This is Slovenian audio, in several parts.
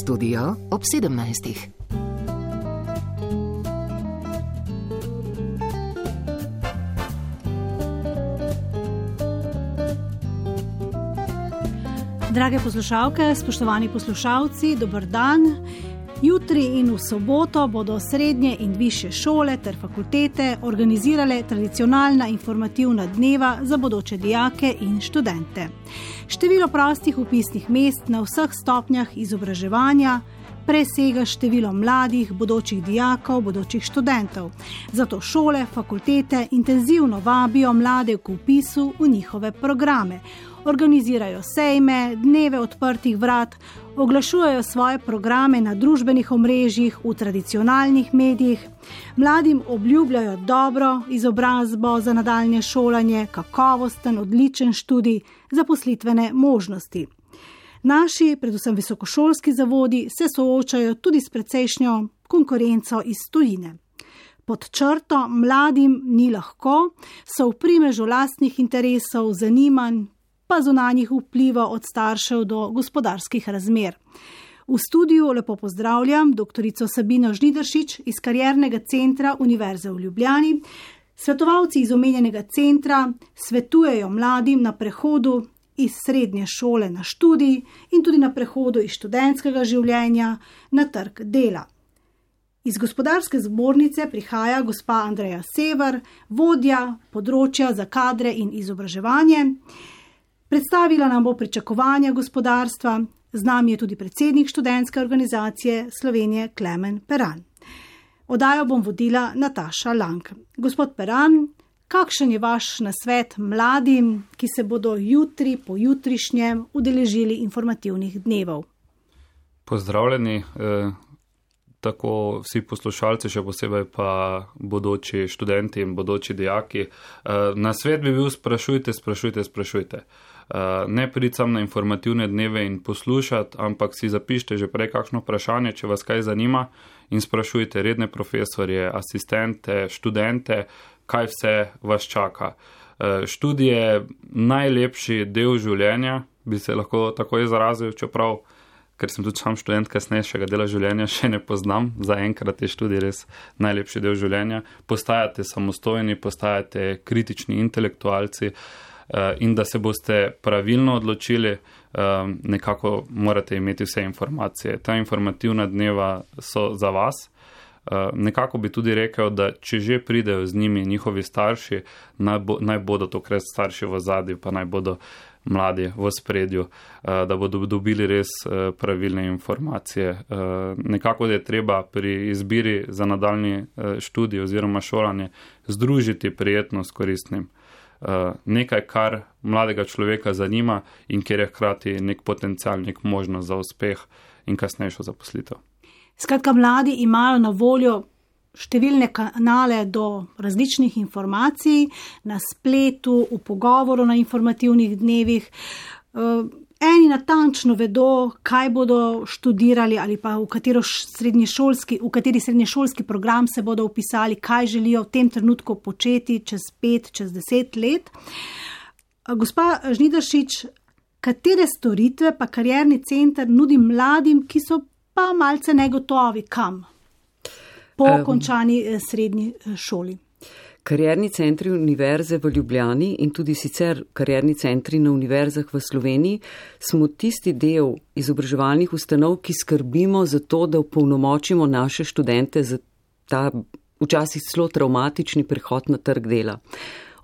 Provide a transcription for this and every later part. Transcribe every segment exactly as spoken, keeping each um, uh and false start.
Studio ob sedemnajstih. Drage poslušalke, spoštovani poslušalci, dober dan. Jutri in v soboto bodo srednje in višje šole ter fakultete organizirale tradicionalna informativna dneva za bodoče dijake in študente. Število prostih vpisnih mest na vseh stopnjah izobraževanja presega število mladih, bodočih dijakov, bodočih študentov. Zato šole, fakultete intenzivno vabijo mlade k vpisu v njihove programe. Organizirajo sejme, dneve odprtih vrat, oglašujejo svoje programe na družbenih omrežjih, v tradicionalnih medijih. Mladim obljubljajo dobro izobrazbo za nadaljnje šolanje, kakovosten, odličen študij, zaposlitvene možnosti. Naši, predvsem visokošolski zavodi, se soočajo tudi s precejšnjo konkurenco iz tujine. Pod črto mladim ni lahko, so v primežu lastnih interesov, zanimanj, pa zunanjih vpliva od staršev do gospodarskih razmer. V studiu lepo pozdravljam doktorico Sabino Žnidaršič iz Kariernega centra Univerze v Ljubljani. Svetovalci iz omenjenega centra svetujejo mladim na prehodu iz srednje šole na študij in tudi na prehodu iz študentskega življenja na trg dela. Iz Gospodarske zbornice prihaja gospa Andreja Sever, vodja področja za kadre in izobraževanje. Predstavila nam bo pričakovanja gospodarstva, z nami je tudi predsednik študentske organizacije Slovenije Klemen Peran. Oddajo bom vodila Nataša Lang. Gospod Peran, kakšen je vaš nasvet mladim, ki se bodo jutri po jutrišnjem udeležili informativnih dnevov? Pozdravljeni, eh, tako vsi poslušalci, še posebej pa bodoči študenti in bodoči dijaki. Eh, nasvet bi bil sprašujte, sprašujte, sprašujte. Uh, ne priti sam na informativne dneve in poslušati, ampak si zapišite že prej kakšno vprašanje, če vas kaj zanima, in sprašujte redne profesorje, asistente, študente, kaj vse vas čaka. Uh, študij je najlepši del življenja, bi se lahko tako izrazil, čeprav, ker sem tudi sam študent kasnejšega dela življenja, še ne poznam. Zaenkrat je študij res najlepši del življenja. Postajate samostojni, postajate kritični intelektualci, in da se boste pravilno odločili, nekako morate imeti vse informacije. Ta informativna dneva so za vas. Nekako bi tudi rekel, da če že pridejo z njimi njihovi starši, naj, bo, naj bodo tokrat starši v zadju, pa naj bodo mladi v spredju, da bodo dobili res pravilne informacije. Nekako je treba pri izbiri za nadaljnji študij oziroma šolanje združiti prijetno s koristnim. Uh, nekaj, kar mladega človeka zanima in kjer je hkrati nek potencial, nek možnost za uspeh in kasnejšo zaposlitev. Skratka, mladi imajo na voljo številne kanale do različnih informacij na spletu, v pogovoru na informativnih dnevih. Uh, eni natančno vedo, kaj bodo študirali ali pa v, srednješolski, v kateri srednješolski program se bodo vpisali, kaj želijo v tem trenutku početi čez pet, čez deset let. Gospa Žnidaršič, katere storitve pa Karierni center nudi mladim, ki so pa malce negotovi kam po um, končani srednji šoli? Karierni centri Univerze v Ljubljani in tudi sicer karierni centri na univerzah v Sloveniji smo tisti del izobraževalnih ustanov, ki skrbimo za to, da opolnomočimo naše študente za ta včasih celo travmatični prehod na trg dela.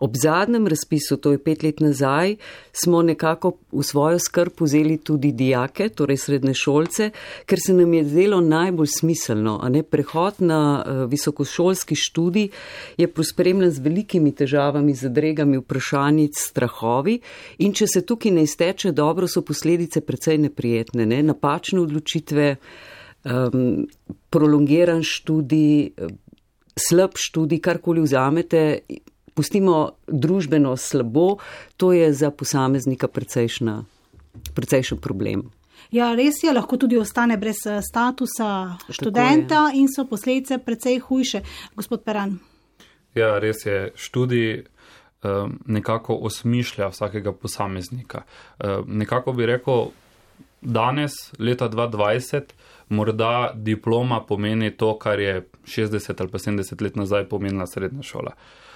Ob zadnjem razpisu, to je pet let nazaj, smo nekako v svojo skrb vzeli tudi dijake, torej srednješolce, ker se nam je zdelo najbolj smiselno, a ne prehod na uh, visokošolski študij je pospremljen z velikimi težavami, zadregami, vprašanjic, strahovi, in če se tukaj ne izteče dobro, so posledice precej neprijetne, ne? Napačne odločitve, um, prolongiran študij, slab študij, karkoli vzamete, pustimo družbeno slabo, to je za posameznika precejšna, precejšen problem. Ja, res je, lahko tudi ostane brez statusa študenta in so posledice precej hujše. Gospod Peran. Ja, res je, študij um, nekako osmišlja vsakega posameznika. Um, nekako bi rekel, danes, leta dva tisoč dvajset, morda diploma pomeni to, kar je šestdeset ali pa sedemdeset let nazaj pomenila srednja šola.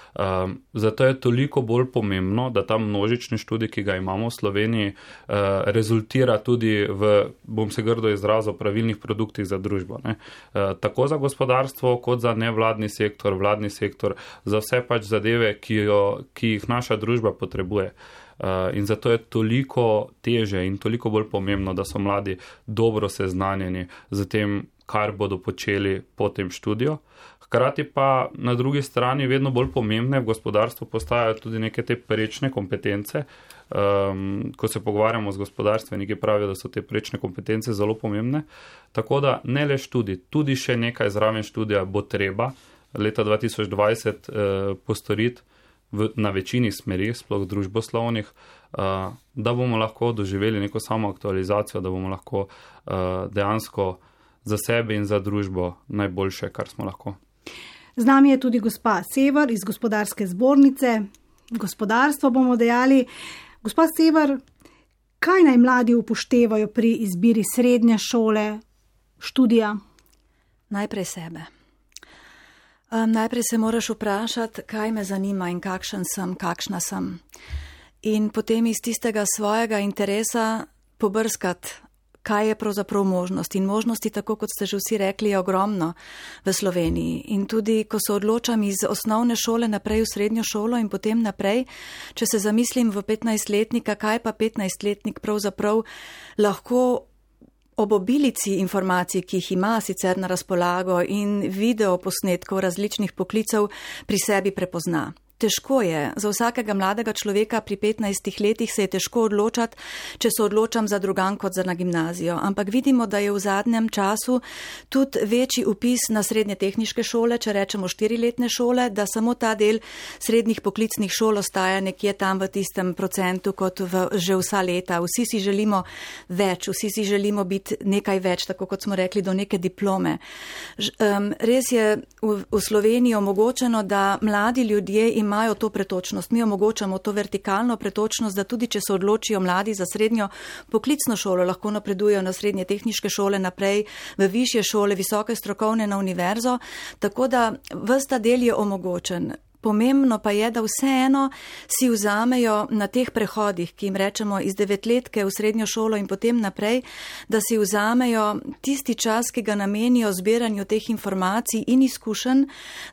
Um, zato je toliko bolj pomembno, da ta množični študij, ki ga imamo v Sloveniji, uh, rezultira tudi v, bom se grdo izrazil, pravilnih produktih za družbo. Ne? Uh, tako za gospodarstvo, kot za nevladni sektor, vladni sektor, za vse pač zadeve, ki, jo, ki jih naša družba potrebuje. Uh, in zato je toliko teže in toliko bolj pomembno, da so mladi dobro seznanjeni z tem, kar bodo počeli po tem študiju. Hkrati pa na drugi strani vedno bolj pomembne v gospodarstvu postajajo tudi neke te prečne kompetence. Um, ko se pogovarjamo z gospodarstveniki, pravijo, da so te prečne kompetence zelo pomembne. Tako da ne le študij, tudi še nekaj zraven študija bo treba leta dva tisoč dvajset uh, postoriti v, na večini smeri, sploh družboslovnih, uh, da bomo lahko doživeli neko samo aktualizacijo, da bomo lahko uh, dejansko za sebe in za družbo najboljše, kar smo lahko. Z nami je tudi gospa Sever iz Gospodarske zbornice. Gospodarstvo bomo dejali. Gospa Sever, kaj naj mladi upoštevajo pri izbiri srednje šole, študija? Najprej sebe. Um, najprej se moraš vprašati, kaj me zanima in kakšen sem, kakšna sem. In potem iz tistega svojega interesa pobrskati, kaj je pravzaprav možnost. In možnosti, tako kot ste že vsi rekli, je ogromno v Sloveniji. In tudi, ko se odločam iz osnovne šole naprej v srednjo šolo in potem naprej, če se zamislim v petnajstletnika, kaj pa petnajstletnik pravzaprav lahko ob obilici informacij, ki jih ima sicer na razpolago in video posnetkov različnih poklicev pri sebi prepozna. Težko je, za vsakega mladega človeka pri petnajstih letih se je težko odločati, če se odločam za drugan kot za na gimnazijo. Ampak vidimo, da je v zadnjem času tudi večji upis na srednje tehniške šole, če rečemo štiriletne šole, da samo ta del srednjih poklicnih šol ostaja nekje tam v tistem procentu kot v, že vsa leta. Vsi si želimo več, vsi si želimo biti nekaj več, tako kot smo rekli, do neke diplome. Ž, um, res je v, v Sloveniji omogočeno, da mladi ljudje imajo imajo to pretočnost. Mi omogočamo to vertikalno pretočnost, da tudi, če se odločijo mladi za srednjo poklicno šolo, lahko napredujejo na srednje tehniške šole, naprej v višje šole, visoke strokovne na univerzo, tako da ves ta del je omogočen. Pomembno pa je, da vseeno si vzamejo na teh prehodih, ki jim rečemo iz devetletke v srednjo šolo in potem naprej, da si vzamejo tisti čas, ki ga namenijo zbiranju teh informacij in izkušenj,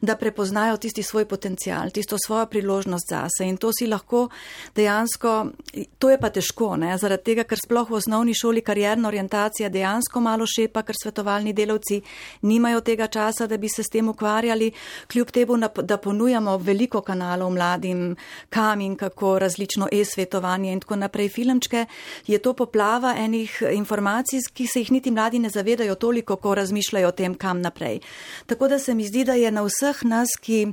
da prepoznajo tisti svoj potencial, tisto svojo priložnost zase. In to si lahko dejansko, to je pa težko, ne? Zaradi tega, ker sploh v osnovni šoli karierna orientacija dejansko malo šepa, ker svetovalni delavci nimajo tega časa, da bi se s tem ukvarjali, kljub temu, da ponujamo veliko kanalov mladim, kam in kako, različno e-svetovanje in tako naprej, filmčke, je to poplava enih informacij, ki se jih niti mladi ne zavedajo toliko, ko razmišljajo o tem, kam naprej. Tako da se mi zdi, da je na vseh nas, ki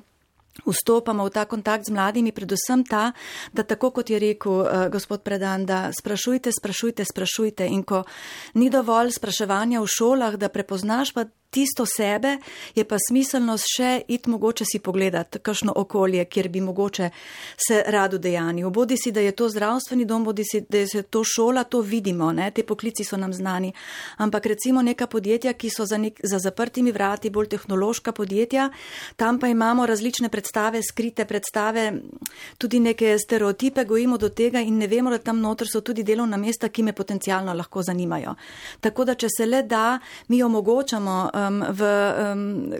vstopamo v ta kontakt z mladimi, predvsem ta, da tako kot je rekel uh, gospod Predan, da sprašujte, sprašujte, sprašujte in ko ni dovolj spraševanja v šolah, da prepoznaš pa tisto sebe, je pa smiselnost še iti mogoče si pogledati kakšno okolje, kjer bi mogoče se rado dejanil. Bodi si, da je to zdravstveni dom, bodi si, da je to šola, to vidimo, ne? Te poklici so nam znani. Ampak recimo neka podjetja, ki so za, nek, za zaprtimi vrati, bolj tehnološka podjetja, tam pa imamo različne predstave, skrite predstave, tudi neke stereotipe gojimo do tega in ne vemo, da tam noter so tudi delovna mesta, ki me potencialno lahko zanimajo. Tako da, če se le da, mi omogočamo V, um,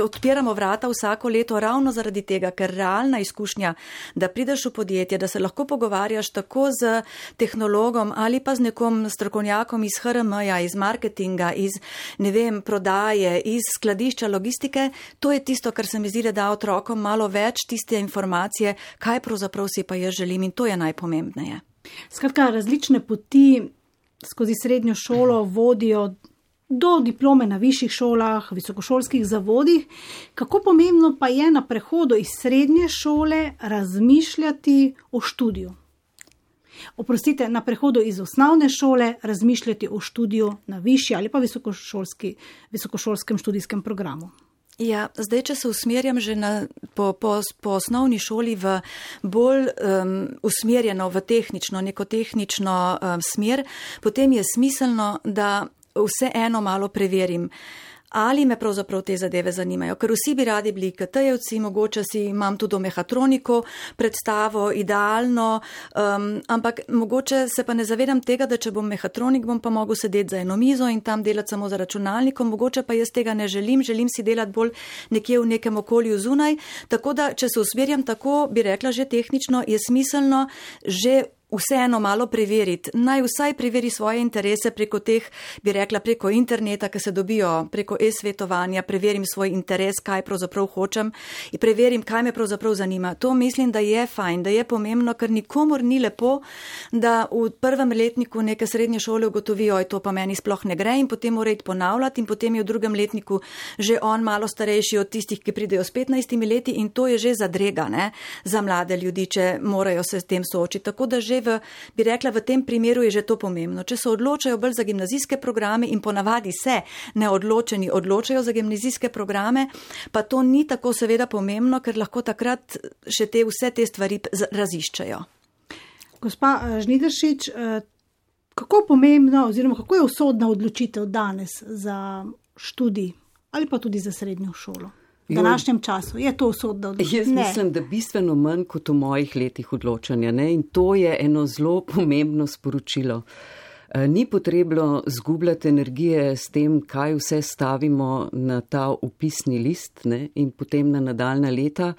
odpiramo vrata vsako leto ravno zaradi tega, ker realna izkušnja, da prideš v podjetje, da se lahko pogovarjaš tako z tehnologom ali pa z nekom strokovnjakom iz H R M-ja, iz marketinga, iz ne vem, prodaje, iz skladišča, logistike, to je tisto, kar se mi zdi, da da otrokom malo več tiste informacije, kaj pravzaprav si pa jaz želim in to je najpomembneje. Skratka, različne poti skozi srednjo šolo vodijo do diplome na višjih šolah, visokošolskih zavodih. Kako pomembno pa je na prehodu iz srednje šole razmišljati o študiju? Oprostite, na prehodu iz osnovne šole razmišljati o študiju na višji ali pa visokošolski, visokošolskem študijskem programu. Ja, zdaj, če se usmerjam že na, po, po, po osnovni šoli v bolj um, usmerjeno v tehnično, neko tehnično um, smer, potem je smiselno, da vse eno malo preverim. Ali me pravzaprav te zadeve zanimajo, ker vsi bi radi bili I K T-jevci, mogoče si imam tudi o mehatroniko predstavo, idealno, um, ampak mogoče se pa ne zavedam tega, da če bom mehatronik, bom pa mogel sedeti za eno mizo in tam delati samo za računalnikom, mogoče pa jaz tega ne želim, želim si delati bolj nekje v nekem okolju zunaj, tako da, če se usmerjam tako, bi rekla že tehnično, je smiselno že vseeno malo preveriti. Naj vsaj preveri svoje interese preko teh, bi rekla, preko interneta, ki se dobijo preko e-svetovanja, preverim svoj interes, kaj pravzaprav hočem in preverim, kaj me pravzaprav zanima. To mislim, da je fajn, da je pomembno, ker nikomor ni lepo, da v prvem letniku neke srednje šole ugotovijo, oj, to pa meni sploh ne gre in potem mora iti ponavljati in potem je v drugem letniku že on malo starejši od tistih, ki pridejo s petnajstimi leti in to je že zadrega, ne, za mlade ljudi, če morajo se s tem soočiti. Tako da že v, bi rekla, v tem primeru je že to pomembno. Če se odločajo bolj za gimnazijske programe in ponavadi se neodločeni odločajo za gimnazijske programe, pa to ni tako seveda pomembno, ker lahko takrat še te vse te stvari raziščajo. Gospa Žnidaršič, kako pomembno oziroma kako je usodna odločitev danes za študij ali pa tudi za srednjo šolo? V današnjem času je to usodna odločitev? Jaz mislim, da bistveno manj kot v mojih letih odločanja, ne? In to je eno zelo pomembno sporočilo. Ni potrebno zgubljati energije s tem, kaj vse stavimo na ta upisni list, ne? In potem na nadaljna leta.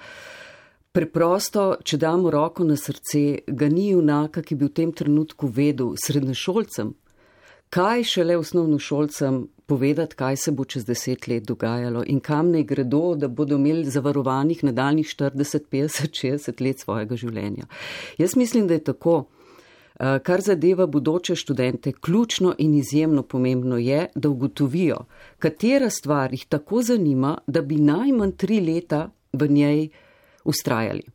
Preprosto, če damo roko na srce, ga ni junaka, ki bi v tem trenutku vedel srednješolcem, kaj šele osnovnošolcem povedati, kaj se bo čez deset let dogajalo in kam naj gredo, da bodo imeli zavarovanih nadaljnjih štirideset, petdeset, šestdeset let svojega življenja. Jaz mislim, da je tako. Kar zadeva bodoče študente, ključno in izjemno pomembno je, da ugotovijo, katera stvar jih tako zanima, da bi najmanj tri leta v njej ustrajali.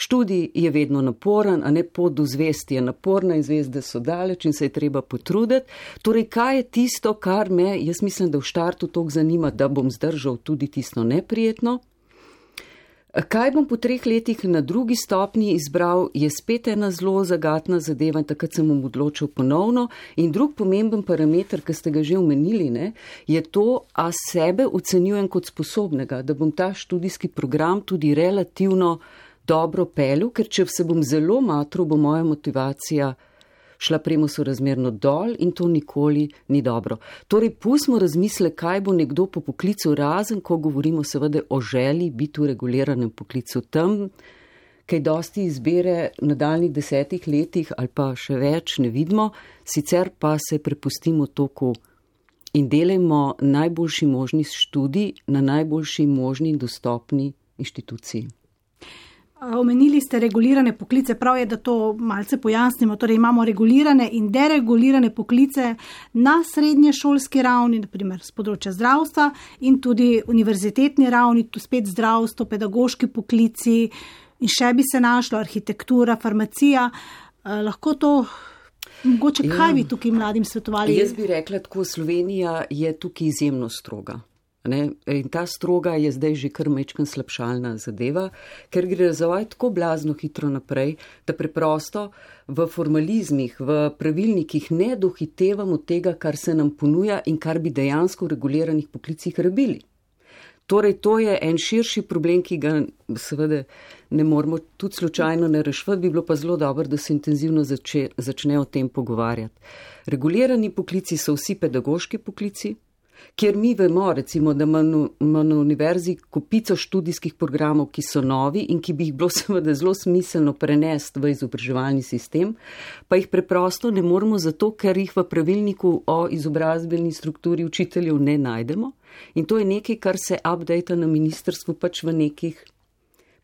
Študij je vedno naporen, a ne pot do zvesti je naporna in zvezde so daleč in se je treba potruditi. Torej, kaj je tisto, kar me, jaz mislim, da v štartu toliko zanima, da bom zdržal tudi tisto neprijetno. Kaj bom po treh letih na drugi stopnji izbral, je spet ena zelo zagatna zadeva in takrat sem bom odločil ponovno. In drug pomemben parameter, ki ste ga že omenili, ne, je to, a sebe ocenjujem kot sposobnega, da bom ta študijski program tudi relativno dobro pelil, ker če se bom zelo matral, bo moja motivacija šla premo sorazmerno dol in to nikoli ni dobro. Torej, pustimo razmisle, kaj bo nekdo po poklicu, razen, ko govorimo seveda o želji biti v reguliranem poklicu. Tam, kaj dosti izbere v nadaljnjih desetih letih ali pa še več ne vidimo, sicer pa se prepustimo toku in delajmo najboljši možni študij na najboljši možni in dostopni inštituciji. Omenili ste regulirane poklice, prav je, da to malce pojasnimo. Torej imamo regulirane in deregulirane poklice na srednješolski ravni, naprimer z področja zdravstva in tudi univerzitetni ravni, tu spet zdravstvo, pedagoški poklici in še bi se našlo arhitektura, farmacija. Lahko to, mogoče kaj ja, bi tukaj mladim svetovali? Jaz bi rekla tako, Slovenija je tukaj izjemno stroga. Ne? In ta stroga je zdaj že kar majčkan slabšalna zadeva, ker gre razvoj tako blazno hitro naprej, da preprosto v formalizmih, v pravilnikih ne dohitevamo tega, kar se nam ponuja in kar bi dejansko v reguliranih poklicih rabili. Torej, to je en širši problem, ki ga seveda ne moramo tudi slučajno ne rešiti, bi bilo pa zelo dobro, da se intenzivno zače, začne o tem pogovarjati. Regulirani poklici so vsi pedagoški poklici, kjer mi vemo, recimo, da ima na univerzi kopico študijskih programov, ki so novi in ki bi jih bilo seveda zelo smiselno prenesti v izobraževalni sistem, pa jih preprosto ne moremo zato, ker jih v pravilniku o izobrazbeni strukturi učiteljev ne najdemo. In to je nekaj, kar se updata na ministrstvu pač v nekih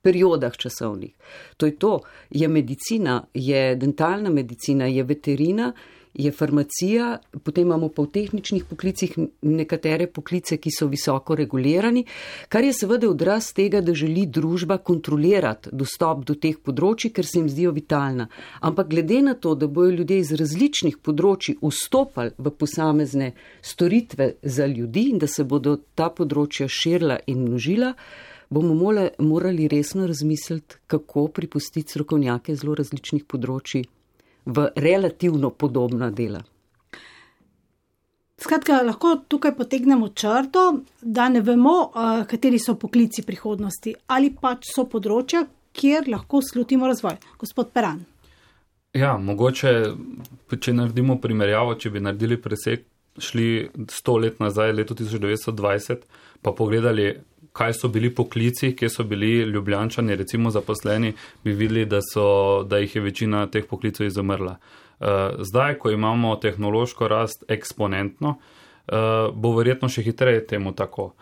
periodah časovnih. To je to, je medicina, je dentalna medicina, je veterina, je farmacija, potem imamo pa v tehničnih poklicih nekatere poklice, ki so visoko regulirani, kar je seveda odraz tega, da želi družba kontrolirati dostop do teh področji, ker se jim zdijo vitalna. Ampak glede na to, da bojo ljudje iz različnih področji vstopali v posamezne storitve za ljudi in da se bodo ta področja širila in množila, bomo morali resno razmisliti, kako pripustiti strokovnjake zelo različnih področji v relativno podobna dela. Skratka, lahko tukaj potegnemo črto, da ne vemo, kateri so poklici prihodnosti ali pač so področja, kjer lahko slutimo razvoj. Gospod Peran. Ja, mogoče, če naredimo primerjavo, če bi naredili presek, šli sto let nazaj, leto tisoč devetsto dvajset, pa pogledali, kaj so bili poklici, kje so bili Ljubljančani, recimo zaposleni, bi videli, da, so, da jih je večina teh poklicov izumrla. Zdaj, ko imamo tehnološko rast eksponentno, bo verjetno še hitreje temu tako.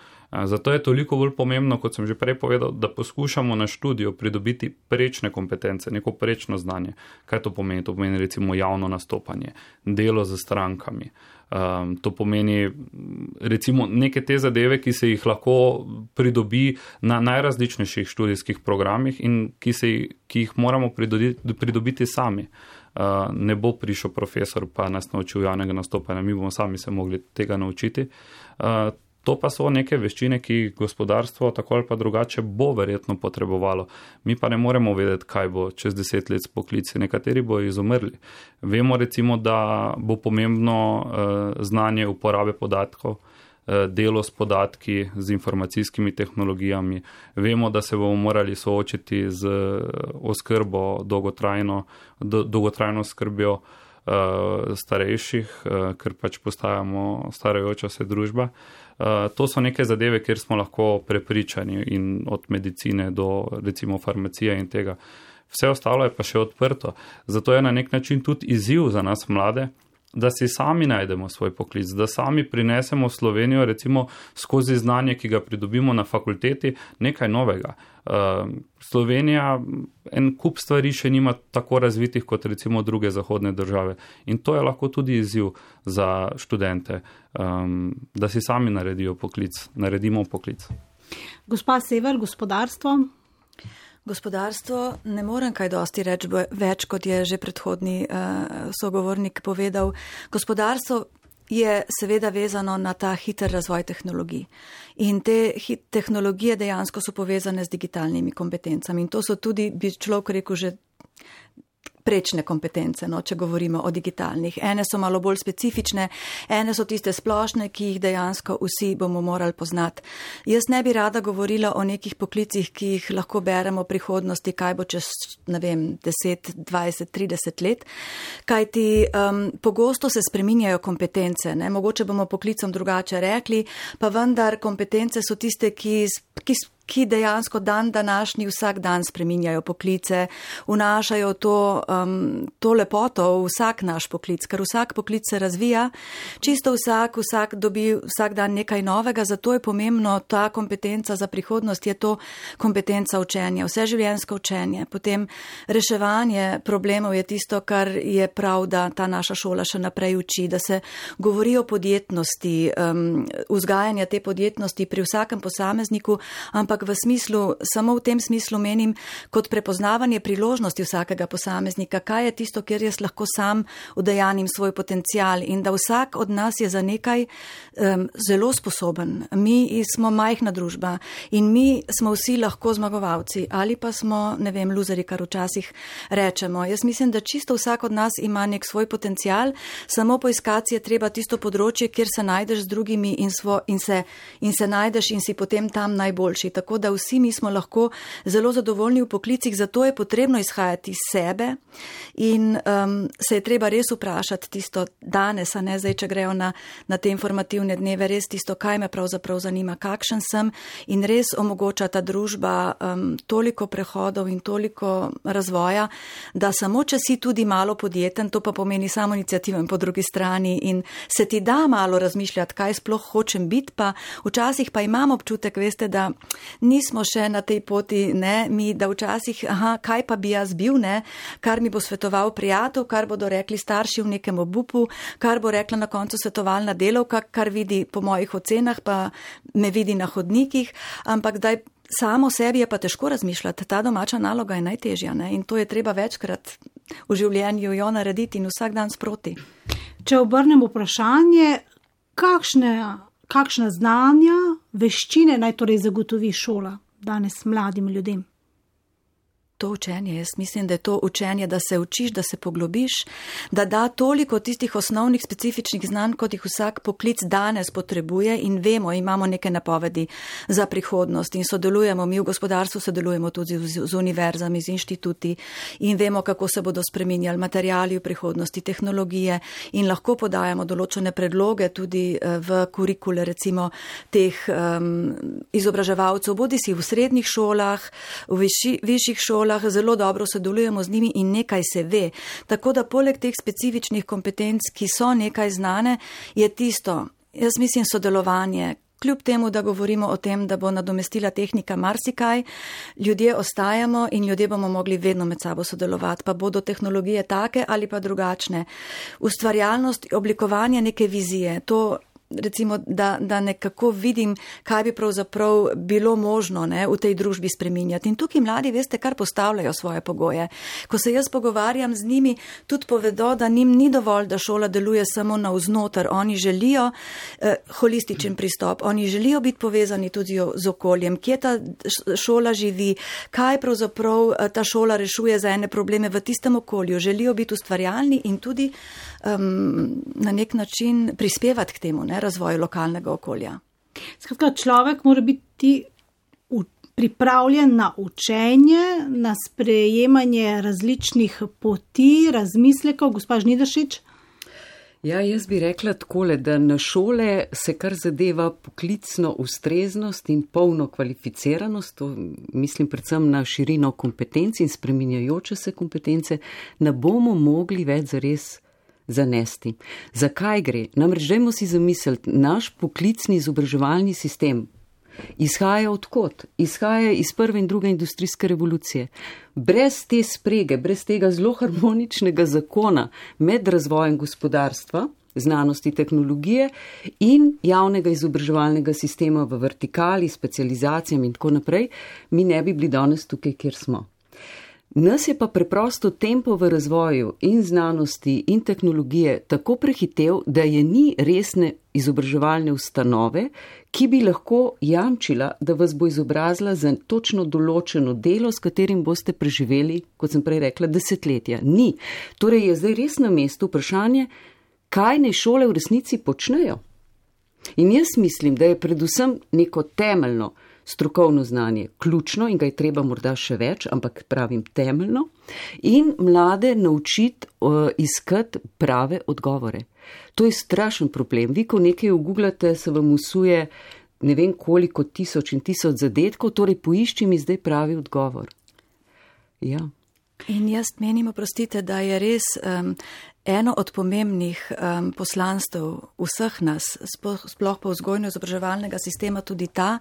Zato je toliko bolj pomembno, kot sem že prej povedal, da poskušamo na študiju pridobiti prečne kompetence, neko prečno znanje. Kaj to pomeni? To pomeni recimo javno nastopanje, delo z strankami. Um, to pomeni recimo neke te zadeve, ki se jih lahko pridobi na najrazličnejših študijskih programih in ki, se, ki jih moramo pridobiti, pridobiti sami. Uh, ne bo prišel profesor pa nas naučil javnega nastopanja, mi bomo sami se mogli tega naučiti. Uh, To pa so neke veščine, ki gospodarstvo tako ali pa drugače bo verjetno potrebovalo. Mi pa ne moremo vedeti, kaj bo čez deset let s poklici. Nekateri bo izumrli. Vemo recimo, da bo pomembno uh, znanje uporabe podatkov, uh, delo s podatki, z informacijskimi tehnologijami. Vemo, da se bomo morali soočiti z oskrbo, dolgotrajno, do, dolgotrajno skrbjo uh, starejših, uh, ker pač postajamo starajoča se družba. Uh, to so neke zadeve, kjer smo lahko prepričani in od medicine do recimo farmacije in tega. Vse ostalo je pa še odprto. Zato je na nek način tudi izziv za nas mlade, da si sami najdemo svoj poklic, da sami prinesemo v Slovenijo recimo skozi znanje, ki ga pridobimo na fakulteti, nekaj novega. Uh, Slovenija en kup stvari še nima tako razvitih kot recimo druge zahodne države. In to je lahko tudi izziv za študente, um, da si sami naredijo poklic, naredimo poklic. Gospa Sever, gospodarstvo? Gospodarstvo, ne morem kaj dosti reči več, kot je že predhodni uh, sogovornik povedal. Gospodarstvo je seveda vezano na ta hiter razvoj tehnologij. In te tehnologije dejansko so povezane z digitalnimi kompetencami. In to so tudi, bi človek rekel, že prečne kompetence, no, če govorimo o digitalnih. Ene so malo bolj specifične, ene so tiste splošne, ki jih dejansko vsi bomo morali poznati. Jaz ne bi rada govorila o nekih poklicih, ki jih lahko beremo v prihodnosti, kaj bo čez, ne vem, deset, dvajset, trideset let, kajti um, pogosto se spreminjajo kompetence, ne? Mogoče bomo poklicom drugače rekli, pa vendar kompetence so tiste, ki, ki ki dejansko dan današnji vsak dan spreminjajo poklice, vnašajo to, um, to lepoto v vsak naš poklic, ker vsak poklic se razvija, čisto vsak, vsak dobi vsak dan nekaj novega, zato je pomembno ta kompetenca za prihodnost, je to kompetenca učenja, vseživljenjsko učenje, potem reševanje problemov je tisto, kar je prav, da ta naša šola še naprej uči, da se govori o podjetnosti, um, vzgajanja te podjetnosti pri vsakem posamezniku, ampak v smislu, samo v tem smislu menim, kot prepoznavanje priložnosti vsakega posameznika, kaj je tisto, kjer jaz lahko sam udejanim svoj potencial in da vsak od nas je za nekaj um, zelo sposoben. Mi smo majhna družba in mi smo vsi lahko zmagovalci ali pa smo, ne vem, luzeri, kar včasih rečemo. Jaz mislim, da čisto vsak od nas ima nek svoj potencial, samo poiskati je treba tisto področje, kjer se najdeš z drugimi in, svo, in, se, in se najdeš in si potem tam najboljši. Tako da vsi mi smo lahko zelo zadovoljni v poklicih, zato je potrebno izhajati iz sebe in um, se je treba res vprašati tisto danes, a ne zdaj, če grejo na, na te informativne dneve, res tisto, kaj me pravzaprav zanima, kakšen sem in res omogoča ta družba um, toliko prehodov in toliko razvoja, da samo, če si tudi malo podjeten, to pa pomeni samo inicijativen po drugi strani in se ti da malo razmišljati, kaj sploh hočem biti, pa včasih pa imam občutek, veste, da nismo še na tej poti, ne, mi, da včasih, aha, kaj pa bi jaz bil, ne, kar mi bo svetoval prijatelj, kar bodo rekli starši v nekem obupu, kar bo rekla na koncu svetovalna delavka, kar vidi po mojih ocenah, pa me vidi na hodnikih, ampak daj samo sebi je pa težko razmišljati, ta domača naloga je najtežja, ne, in to je treba večkrat v življenju jo narediti in vsak dan sproti. Če obrnem vprašanje, kakšne, kakšna znanja, veščine naj torej zagotovi šola danes mladim ljudem? To učenje, jaz mislim, da je to učenje, da se učiš, da se poglobiš, da da toliko tistih osnovnih specifičnih znanj, kot jih vsak poklic danes potrebuje in vemo, imamo neke napovedi za prihodnost in sodelujemo, mi v gospodarstvu sodelujemo tudi z, z univerzami, z inštituti in vemo, kako se bodo spreminjali materiali v prihodnosti, tehnologije in lahko podajamo določene predloge tudi v kurikule, recimo teh um, izobraževalcev, bodi si v srednjih šolah, v viši, višjih šolah, zelo dobro sodelujemo z njimi in nekaj se ve. Tako da poleg teh specifičnih kompetenc, ki so nekaj znane, je tisto, jaz mislim, sodelovanje. Kljub temu, da govorimo o tem, da bo nadomestila tehnika marsikaj, ljudje ostajamo in ljudje bomo mogli vedno med sabo sodelovati, pa bodo tehnologije take ali pa drugačne. Ustvarjalnost, oblikovanje neke vizije, to recimo, da, da nekako vidim, kaj bi pravzaprav bilo možno, ne, v tej družbi spreminjati. In tukaj mladi, veste, kar postavljajo svoje pogoje. Ko se jaz pogovarjam z njimi, tudi povedo, da njim ni dovolj, da šola deluje samo navznoter. Oni želijo eh, holističen pristop, oni želijo biti povezani tudi z okoljem, kje ta šola živi, kaj pravzaprav ta šola rešuje za ene probleme v tistem okolju. Želijo biti ustvarjalni in tudi um, na nek način prispevati k temu, ne, razvoju lokalnega okolja. Skratka, človek mora biti pripravljen na učenje, na sprejemanje različnih poti, razmislekov. Gospa Žnidaršič? Ja, jaz bi rekla takole, da na šole se kar zadeva poklicno ustreznost in polno kvalificiranost, to mislim predvsem na širino kompetenc in spreminjajoče se kompetence, ne bomo mogli več zares zanesti. Zakaj gre? Namreč dajmo si zamisliti, naš poklicni izobraževalni sistem izhaja odkot? Izhaja iz prve in druge industrijske revolucije. Brez te sprege, brez tega zelo harmoničnega zakona med razvojem gospodarstva, znanosti, tehnologije in javnega izobraževalnega sistema v vertikali, specializacijami in tako naprej, mi ne bi bili danes tukaj, kjer smo. Nas je pa preprosto tempo v razvoju in znanosti in tehnologije tako prehitev, da je ni resne izobraževalne ustanove, ki bi lahko jamčila, da vas bo izobrazila za točno določeno delo, s katerim boste preživeli, kot sem prej rekla, desetletja. Ni. Torej je zdaj res na mestu vprašanje, kaj naj šole v resnici počnejo. In jaz mislim, da je predvsem neko temeljno strokovno znanje ključno in ga je treba morda še več, ampak pravim temeljno, in mlade naučiti uh, iskati prave odgovore. To je strašen problem. Vi, ko nekaj ugooglate, se vam usuje ne vem koliko tisoč in tisoč zadetkov, torej poišči mi zdaj pravi odgovor. Ja. In jaz menim, oprostite, da je res um, eno od pomembnih um, poslanstv vseh nas, sploh pa vzgojno-izobraževalnega sistema, tudi ta,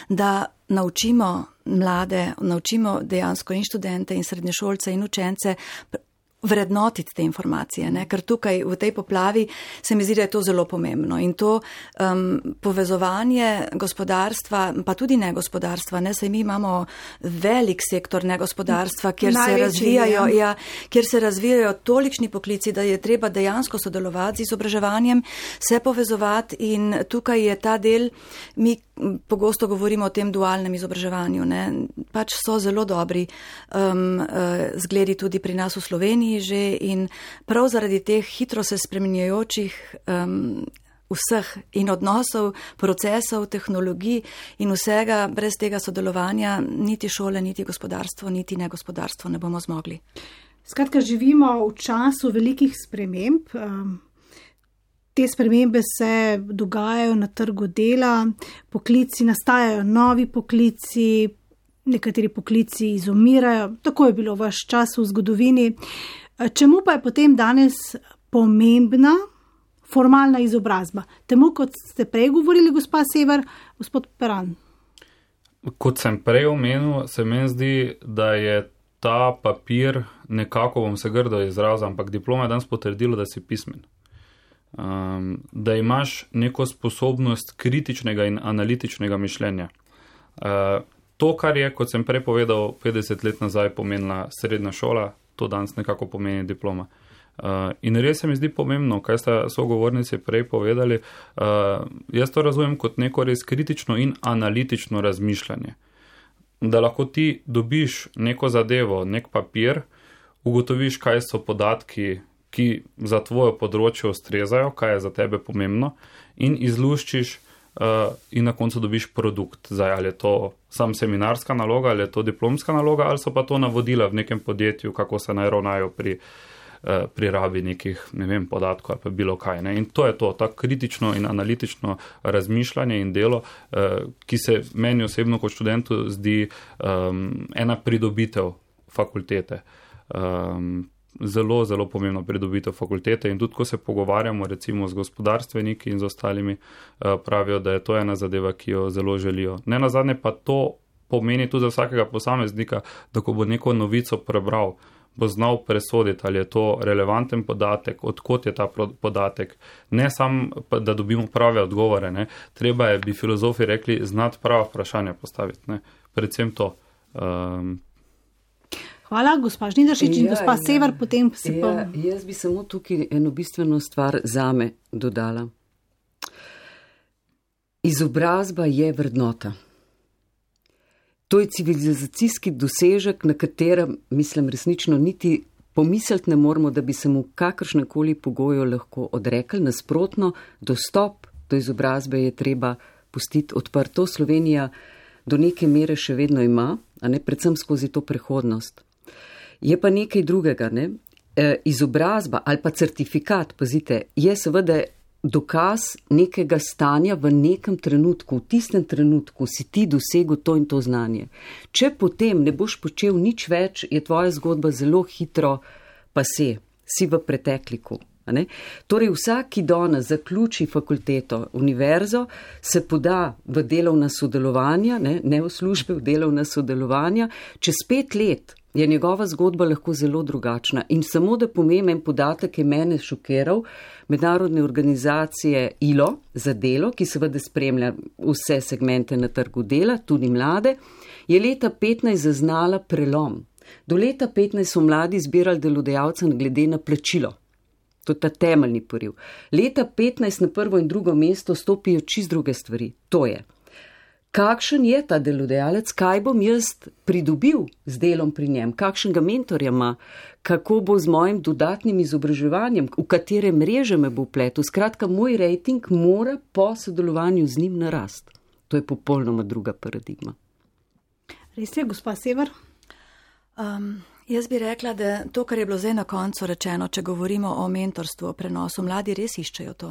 da naučimo mlade, naučimo dejansko in študente in srednješolce in učence vrednotiti te informacije, ne? Ker tukaj v tej poplavi se mi zdi, da je to zelo pomembno in to um, povezovanje gospodarstva, pa tudi negospodarstva, ne? Saj mi imamo velik sektor negospodarstva, kjer se razvijajo, ja, kjer se razvijajo tolikšni poklici, da je treba dejansko sodelovati z izobraževanjem, se povezovati in tukaj je ta del, mi pogosto govorimo o tem dualnem izobraževanju, ne? Pač so zelo dobri um, uh, zgledi tudi pri nas v Sloveniji že in prav zaradi teh hitro se spreminjajočih um, vseh in odnosov, procesov, tehnologij in vsega, brez tega sodelovanja niti šole, niti gospodarstvo, niti negospodarstvo ne bomo zmogli. Skratka, živimo v času velikih sprememb. Te spremembe se dogajajo na trgu dela, poklici, nastajajo novi poklici, nekateri poklici izumirajo, tako je bilo vaš čas v zgodovini. Čemu pa je potem danes pomembna formalna izobrazba? Temu, kot ste prej govorili, gospa Sever, gospod Peran. kot sem prej omenil, se meni zdi, da je ta papir, nekako bom se grdo izrazil, ampak diploma je danes potrdilo, da si pismen. Um, da imaš neko sposobnost kritičnega in analitičnega mišljenja. Uh, to, kar je, kot sem prej povedal, petdeset let nazaj pomenila srednja šola, to danes nekako pomeni diploma. Uh, in res se mi zdi pomembno, kaj sta sogovornici prej povedali, uh, jaz to razumem kot neko res kritično in analitično razmišljanje. Da lahko ti dobiš neko zadevo, nek papir, ugotoviš, kaj so podatki, ki za tvoje področje ustrezajo, kaj je za tebe pomembno in izluščiš uh, in na koncu dobiš produkt. Zdaj, ali je to sam seminarska naloga, ali je to diplomska naloga, ali so pa to navodila v nekem podjetju, kako se naj ravnajo pri pri rabi nekih, ne vem, podatkov ali pa bilo kaj. Ne? In to je to, ta kritično in analitično razmišljanje in delo, ki se meni osebno kot študentu zdi um, ena pridobitev fakultete. Um, zelo, zelo pomembna pridobitev fakultete in tudi, ko se pogovarjamo recimo z gospodarstveniki in z ostalimi, uh, pravijo, da je to ena zadeva, ki jo zelo želijo. Ne nazadnje pa to pomeni tudi za vsakega posameznika, da ko bo neko novico prebral, bo znal presoditi, ali je to relevanten podatek, odkot je ta podatek. Ne samo, da dobimo prave odgovore, ne. Treba je, bi filozofi rekli, znati prava vprašanja postaviti. Ne. Predvsem to. Um... Hvala, gospa Žnidaršič in ja, gospa ja, Sever, potem se pa... Ja, jaz bi samo tukaj eno bistveno stvar zame dodala. Izobrazba je vrednota. To je civilizacijski dosežek, na katerem, mislim, resnično niti pomisliti ne moramo, da bi se mu kakršnekoli pogojo lahko odrekli. Nasprotno, dostop do izobrazbe je treba pustiti odprto. Slovenija do neke mere še vedno ima, a ne predvsem skozi to prehodnost. Je pa nekaj drugega, ne? E, izobrazba ali pa certifikat, pazite, je seveda dokaz nekega stanja v nekem trenutku, v tistem trenutku si ti dosegel to in to znanje. Če potem ne boš počel nič več, je tvoja zgodba zelo hitro pase, si v pretekliku. Ne? Torej vsak, ki danes zaključi fakulteto, univerzo, se poda v delovna sodelovanja, ne, ne v službe, v delovna sodelovanja, čez pet let je njegova zgodba lahko zelo drugačna. In samo da pomemben podatek je mene šokiral, mednarodne organizacije I L O za delo, ki seveda spremlja vse segmente na trgu dela, tudi mlade, je leta petnajst zaznala prelom. Do leta petnajst so mladi zbirali delodajalcem glede na plačilo. To je ta temeljni poriv. Leta petnajst na prvo in drugo mesto stopijo čist druge stvari. To je, kakšen je ta delodajalec, kaj bom jaz pridobil z delom pri njem, kakšnega mentorja ima, kako bo z mojim dodatnim izobraževanjem, v katere mreže me bo vpletel. Skratka, moj rejting mora po sodelovanju z njim narast. To je popolnoma druga paradigma. Res je, gospa Sever? Um, jaz bi rekla, da to, kar je bilo zdaj na koncu rečeno, če govorimo o mentorstvu, o prenosu, mladi res iščejo to.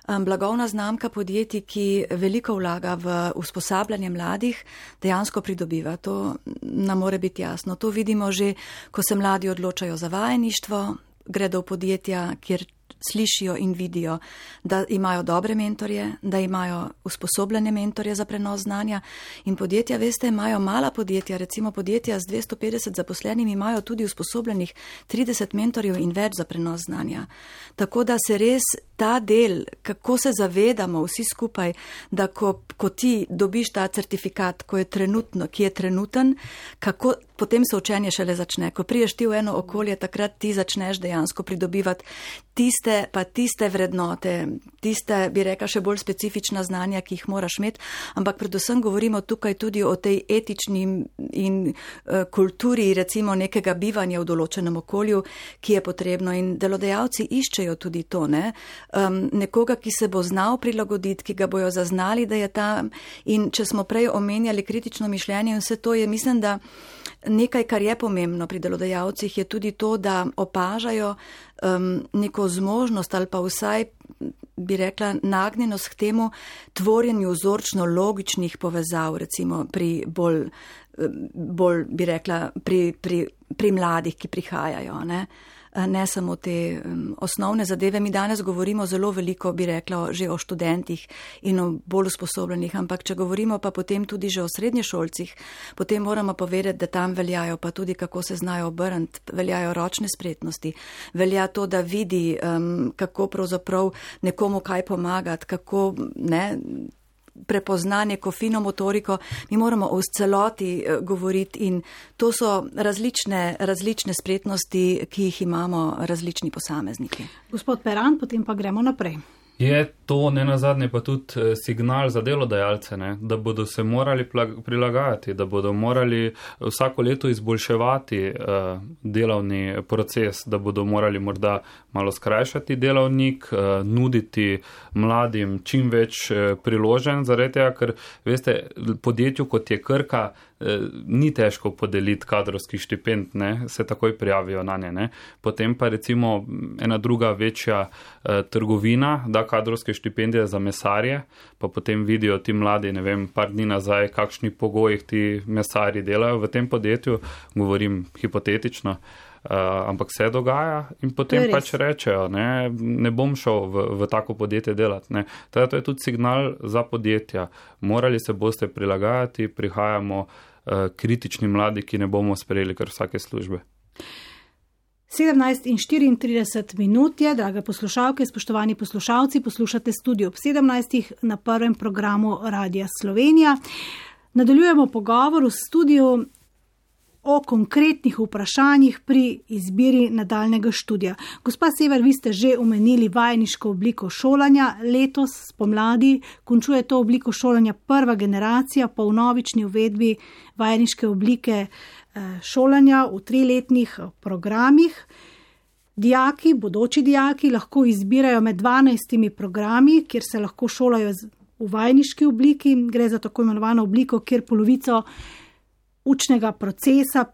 Um, blagovna znamka podjetij, ki veliko vlaga v usposabljanje mladih, dejansko pridobiva. To nam more biti jasno. To vidimo že, ko se mladi odločajo za vajeništvo, gredo v podjetja, kjer slišijo in vidijo, da imajo dobre mentorje, da imajo usposobljene mentorje za prenos znanja. In podjetja, veste, imajo mala podjetja, recimo podjetja z dvesto petdeset zaposlenimi, imajo tudi usposobljenih trideset mentorjev in več za prenos znanja. Tako da se res ta del, kako se zavedamo vsi skupaj, da ko, ko ti dobiš ta certifikat, ko je trenutno, ki je trenuten, kako potem se učenje šele začne. Ko priješ ti v eno okolje, takrat ti začneš dejansko pridobivati tiste, pa tiste vrednote, tiste, bi rekla, še bolj specifična znanja, ki jih moraš imeti, ampak predvsem govorimo tukaj tudi o tej etični in uh, kulturi, recimo nekega bivanja v določenem okolju, ki je potrebno, in delodajalci iščejo tudi to, ne? Um, nekoga, ki se bo znal prilagoditi, ki ga bojo zaznali, da je tam. In če smo prej omenjali kritično mišljenje in vse to, je mislim, da nekaj, kar je pomembno pri delodajalcih, je tudi to, da opažajo um, neko zmožnost ali pa vsaj, bi rekla, nagnjenost k temu tvorjenju vzorčno logičnih povezav, recimo pri bolj, bolj bi rekla, pri, pri, pri mladih, ki prihajajo, ne. ne samo te osnovne zadeve. Mi danes govorimo zelo veliko, bi rekla, že o študentih in o bolj usposobljenih, ampak če govorimo pa potem tudi že o srednješolcih, potem moramo povedati, da tam veljajo pa tudi, kako se znajo obrniti, veljajo ročne spretnosti, velja to, da vidi, um, kako pravzaprav nekomu kaj pomagati, kako ne, prepozna neko fino motoriko. Mi moramo o celoti govoriti in to so različne, različne spretnosti, ki jih imamo različni posamezniki. Gospod Peran, potem pa gremo naprej. Je to ne nazadnje pa tudi signal za delodajalce, ne? Da bodo se morali prilagajati, da bodo morali vsako leto izboljševati uh, delovni proces, da bodo morali morda malo skrajšati delovnik, uh, nuditi mladim čim več uh, priložen, zaradi tega, ker veste, podjetju kot je Krka, ni težko podeliti kadrovskih štipend, ne, se takoj prijavijo na nje, ne. Potem pa recimo ena druga večja eh, trgovina da kadrovske štipendije za mesarje, pa potem vidijo ti mladi, ne vem, par dni nazaj, kakšni pogojih ti mesarji delajo v tem podjetju, govorim hipotetično, Uh, ampak se dogaja in potem pač rečejo, ne, ne bom šel v, v tako podjetje delati. Ne. Teda to je tudi signal za podjetja. Morali se boste prilagajati, prihajamo uh, kritični mladi, ki ne bomo sprejeli kar vsake službe. sedemnajst in štiriintrideset minut je, drage poslušalke, spoštovani poslušalci, poslušate Studio ob sedemnajstih na prvem programu Radia Slovenija. Nadaljujemo pogovor v studiu o konkretnih vprašanjih pri izbiri nadaljnega študija. Gospa Sever, vi ste že omenili vajeniško obliko šolanja. Letos spomladi končuje to obliko šolanja prva generacija po vnovični uvedbi vajeniške oblike šolanja v triletnih programih. Dijaki, bodoči dijaki lahko izbirajo med dvanajstimi programi, kjer se lahko šolajo v vajeniški obliki. Gre za tako imenovano obliko, kjer polovico učnega procesa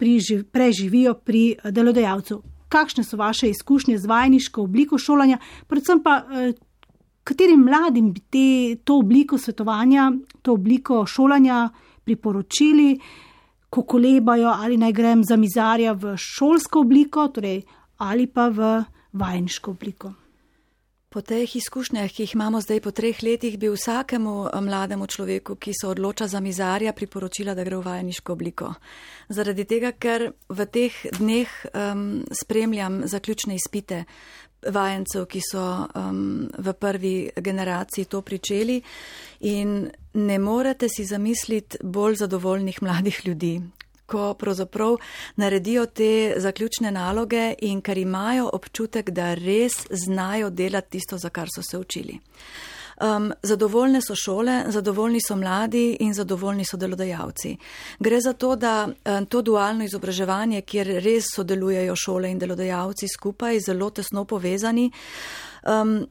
preživijo pri delodajalcu. Kakšne so vaše izkušnje z vajeniško obliko šolanja, predvsem pa katerim mladim bi te, to obliko svetovanja, to obliko šolanja priporočili, ko kolebajo ali naj grem za mizarja v šolsko obliko, torej ali pa v vajeniško obliko? Po teh izkušnjah, ki jih imamo zdaj po treh letih, bi vsakemu mlademu človeku, ki se odloča za mizarja, priporočila, da gre v vajeniško obliko. Zaradi tega, ker v teh dneh um, spremljam zaključne izpite vajencev, ki so um, v prvi generaciji to pričeli in ne morete si zamisliti bolj zadovoljnih mladih ljudi, ko pravzaprav naredijo te zaključne naloge in ker imajo občutek, da res znajo delati tisto, za kar so se učili. Um, zadovoljne so šole, zadovoljni so mladi in zadovoljni so delodajalci. Gre za to, da um, to dualno izobraževanje, kjer res sodelujejo šole in delodajalci skupaj, zelo tesno povezani, um,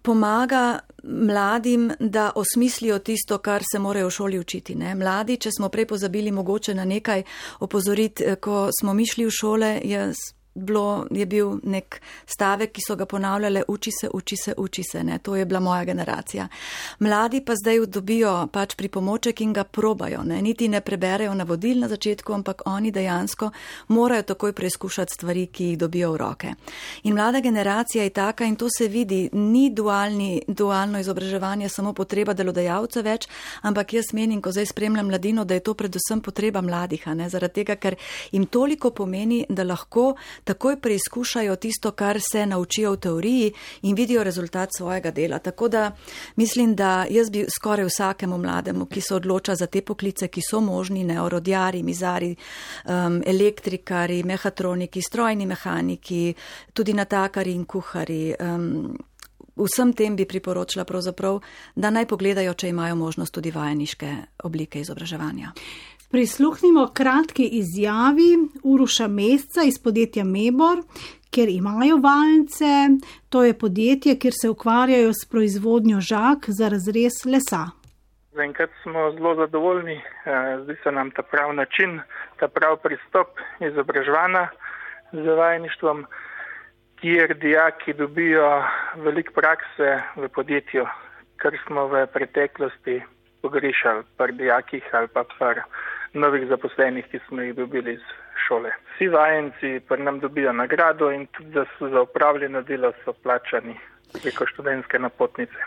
pomaga mladim, da osmislijo tisto, kar se morajo v šoli učiti. Ne? Mladi, če smo prej pozabili mogoče na nekaj opozoriti, ko smo mi šli v šole, je, bilo, je bil nek stavek, ki so ga ponavljale, uči se, uči se, uči se. Ne? To je bila moja generacija. Mladi pa zdaj dobijo pač pripomoček in ga probajo. Ne? Niti ne preberejo navodil na začetku, ampak oni dejansko morajo takoj preizkušati stvari, ki jih dobijo v roke. In mlada generacija je taka in to se vidi, ni dualni, dualno izobraževanje samo potreba delodajalca več, ampak jaz menim, ko zdaj spremljam mladino, da je to predvsem potreba mladih, a ne? Zaradi tega, ker jim toliko pomeni, da lahko takoj preizkušajo tisto, kar se naučijo v teoriji in vidijo rezultat svojega dela. Tako da mislim, da jaz bi skoraj vsakemu mlademu, ki se odloča za te poklice, ki so možni, ne, orodjari, mizari, um, elektrikari, mehatroniki, strojni mehaniki, tudi natakari in kuhari, um, vsem tem bi priporočila pravzaprav, da naj pogledajo, če imajo možnost tudi vajeniške oblike izobraževanja. Prisluhnimo kratki izjavi Uroša Mesca iz podjetja Mebor, kjer imajo vajence. To je podjetje, kjer se ukvarjajo s proizvodnjo žag za razrez lesa. Zaenkrat smo zelo zadovoljni, zdi se nam ta prav način, ta prav pristop izobraževanja z vajeništvom, kjer dijaki dobijo veliko prakse v podjetju, kar smo v preteklosti pogrišali pri dijakih ali pa pri novih zaposlenih, ki smo jih dobili iz šole. Vsi vajenci pri nam dobijo nagrado in tudi za, za upravljeno delo so plačani preko študentske napotnice.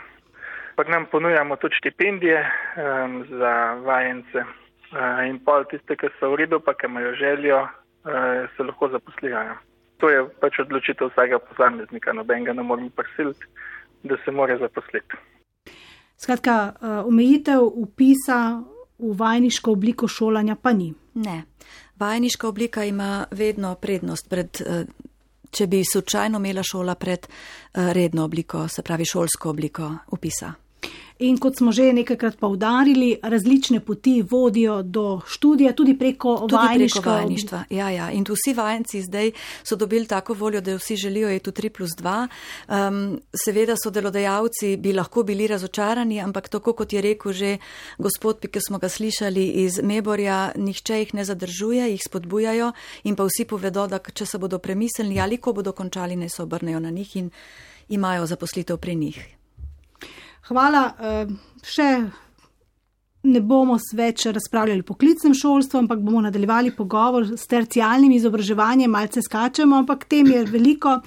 Pri nam ponujamo tudi štipendije um, za vajence uh, in pol tiste, ki so v redu, pa ki imajo željo, uh, se lahko zaposlijo. To je pač odločitev vsakega posameznika, nobenega ne moremo prisiliti, da se mora zaposliti. Skratka, omejitev vpisa v vajeniško obliko šolanja pa ni. Ne. Vajeniška oblika ima vedno prednost pred, če bi slučajno imela šola pred redno obliko, se pravi šolsko obliko vpisa. In kot smo že nekajkrat poudarili, različne poti vodijo do študija, tudi preko tudi vajeniška. Preko vajeništva, ja, ja. In tu vsi vajenci zdaj so dobili tako voljo, da vsi želijo je tu tri plus dva. Um, seveda so delodajalci bi lahko bili razočarani, ampak tako kot je rekel že gospod, ki smo ga slišali iz Meborja, nihče jih ne zadržuje, jih spodbujajo in pa vsi povedo, da če se bodo premislili ali ko bodo končali, naj se obrnejo na njih in imajo zaposlitev pri njih. Hvala. Še ne bomo več razpravljali o poklicnem šolstvu, ampak bomo nadaljevali pogovor s tercialnim izobraževanjem, malce skačemo, ampak tem je veliko.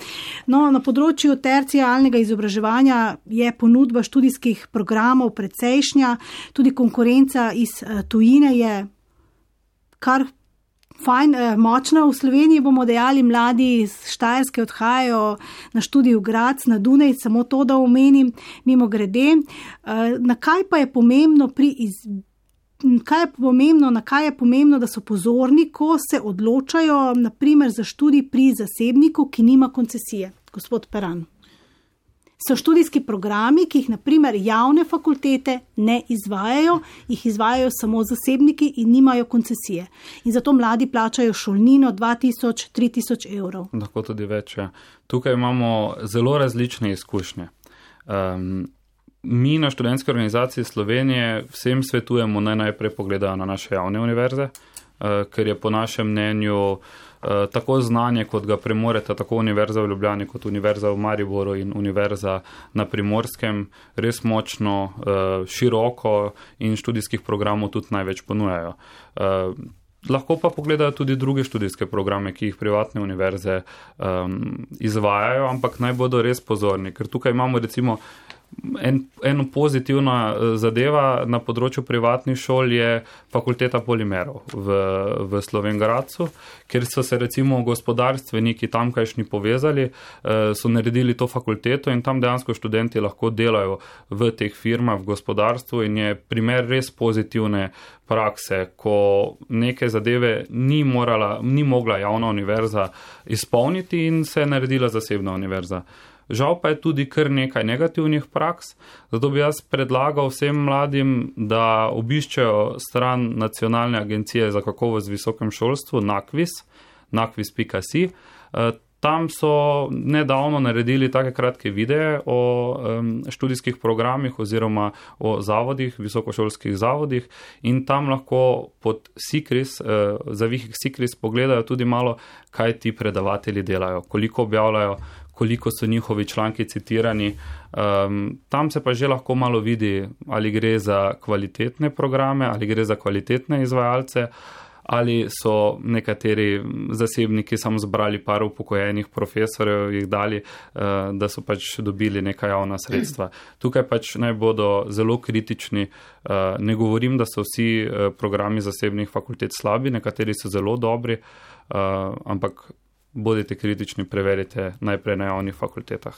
No, na področju tercialnega izobraževanja je ponudba študijskih programov precejšnja, tudi konkurenca iz tujine je kar fajn, močna. V Sloveniji bomo dejali, mladi iz Štajerske odhajajo na študij v Graz, na Dunaj, samo to, da omenim, mimo grede. Na kaj pa je pomembno pri iz... Kaj je pomembno, na kaj je pomembno, da so pozorni, ko se odločajo, na primer, za študij pri zasebniku, ki nima koncesije? Gospod Peran. So študijski programi, ki jih na primer javne fakultete ne izvajajo, jih izvajajo samo zasebniki in nimajo koncesije. In zato mladi plačajo šolnino dva tisoč, tri tisoč evrov. Lahko tudi več, ja. Tukaj imamo zelo različne izkušnje. Um, mi na študentski organizaciji Slovenije vsem svetujemo, naj najprej pogledajo na naše javne univerze, uh, ker je po našem mnenju tako znanje, kot ga premoreta tako Univerza v Ljubljani, kot Univerza v Mariboru in Univerza na Primorskem, res močno, široko in študijskih programov tudi največ ponujajo. Lahko pa pogledajo tudi druge študijske programe, ki jih privatne univerze izvajajo, ampak naj bodo res pozorni, ker tukaj imamo recimo En, eno pozitivna zadeva na področju privatnih šol je fakulteta polimerov v, v Slovenj Gradcu, kjer so se recimo gospodarstveniki tamkajšnji povezali, so naredili to fakulteto in tam dejansko študenti lahko delajo v teh firmah, v gospodarstvu in je primer res pozitivne prakse, ko neke zadeve ni morala, ni mogla javna univerza izpolniti in se je naredila zasebna univerza. Žal pa je tudi kar nekaj negativnih praks, zato bi jaz predlagal vsem mladim, da obiščejo stran Nacionalne agencije za kakovost v visokem šolstvu, nakvis, nakvis pika si. Tam so nedavno naredili take kratke videe o študijskih programih oziroma o zavodih, visokošolskih zavodih in tam lahko pod SIKRIS, zavihek SIKRIS pogledajo tudi malo, kaj ti predavatelji delajo, koliko objavljajo, koliko so njihovi članki citirani. Um, tam se pa že lahko malo vidi, ali gre za kvalitetne programe, ali gre za kvalitetne izvajalce, ali so nekateri zasebniki samo zbrali par upokojenih profesorjev, jih dali, uh, da so pač dobili neka javna sredstva. Tukaj pač naj bodo zelo kritični. Uh, ne govorim, da so vsi uh, programi zasebnih fakultet slabi, nekateri so zelo dobri, uh, ampak bodite kritični, preverite najprej na javnih fakultetah.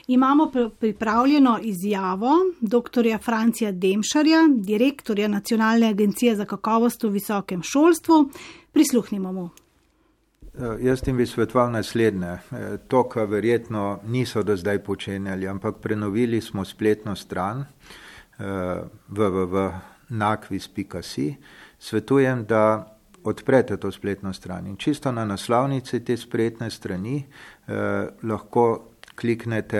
Imamo pripravljeno izjavo doktorja Francija Demšarja, direktorja Nacionalne agencije za kakovost v visokem šolstvu. Prisluhnimo mu. Jaz tim bi svetoval naslednje. To, kar verjetno niso do zdaj počenjali, ampak prenovili smo spletno stran w w w pika nakvis pika si. Svetujem, da odprete to spletno stran in čisto na naslovnici te spletne strani eh, lahko kliknete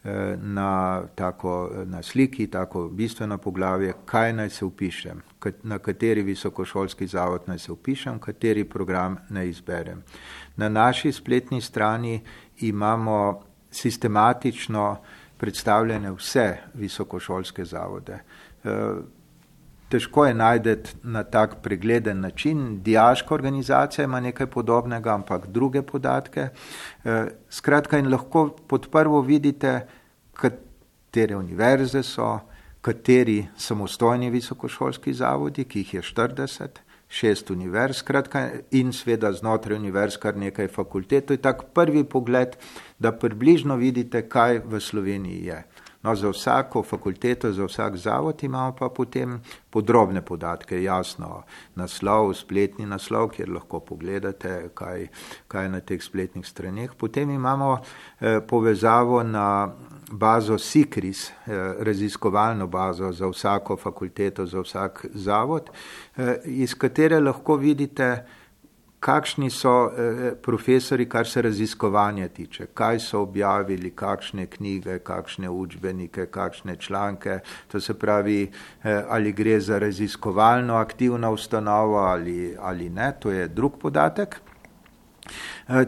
eh, na, tako, na sliki, tako bistveno poglavje, kaj naj se vpišem, na kateri visokošolski zavod naj se vpišem, kateri program naj izberem. Na naši spletni strani imamo sistematično predstavljene vse visokošolske zavode. Eh, težko je najdeti na tak pregleden način. Dijaška organizacija ima nekaj podobnega, ampak druge podatke. Skratka, in lahko pod prvo vidite, katere univerze so, kateri samostojni visokošolski zavodi, ki jih je štirideset, šest univerz, skratka, in seveda znotraj univerz kar nekaj fakultet. To je tak prvi pogled, da približno vidite, kaj v Sloveniji je. No, za vsako fakulteto, za vsak zavod imamo pa potem podrobne podatke, jasno, naslov, spletni naslov, kjer lahko pogledate, kaj, kaj je na teh spletnih straneh. Potem imamo eh, povezavo na bazo SICRIS, eh, raziskovalno bazo za vsako fakulteto, za vsak zavod, eh, iz katere lahko vidite, kakšni so eh, profesori, kar se raziskovanja tiče, kaj so objavili, kakšne knjige, kakšne učbenike, kakšne članke, to se pravi, eh, ali gre za raziskovalno aktivno ustanovo ali, ali ne, to je drug podatek.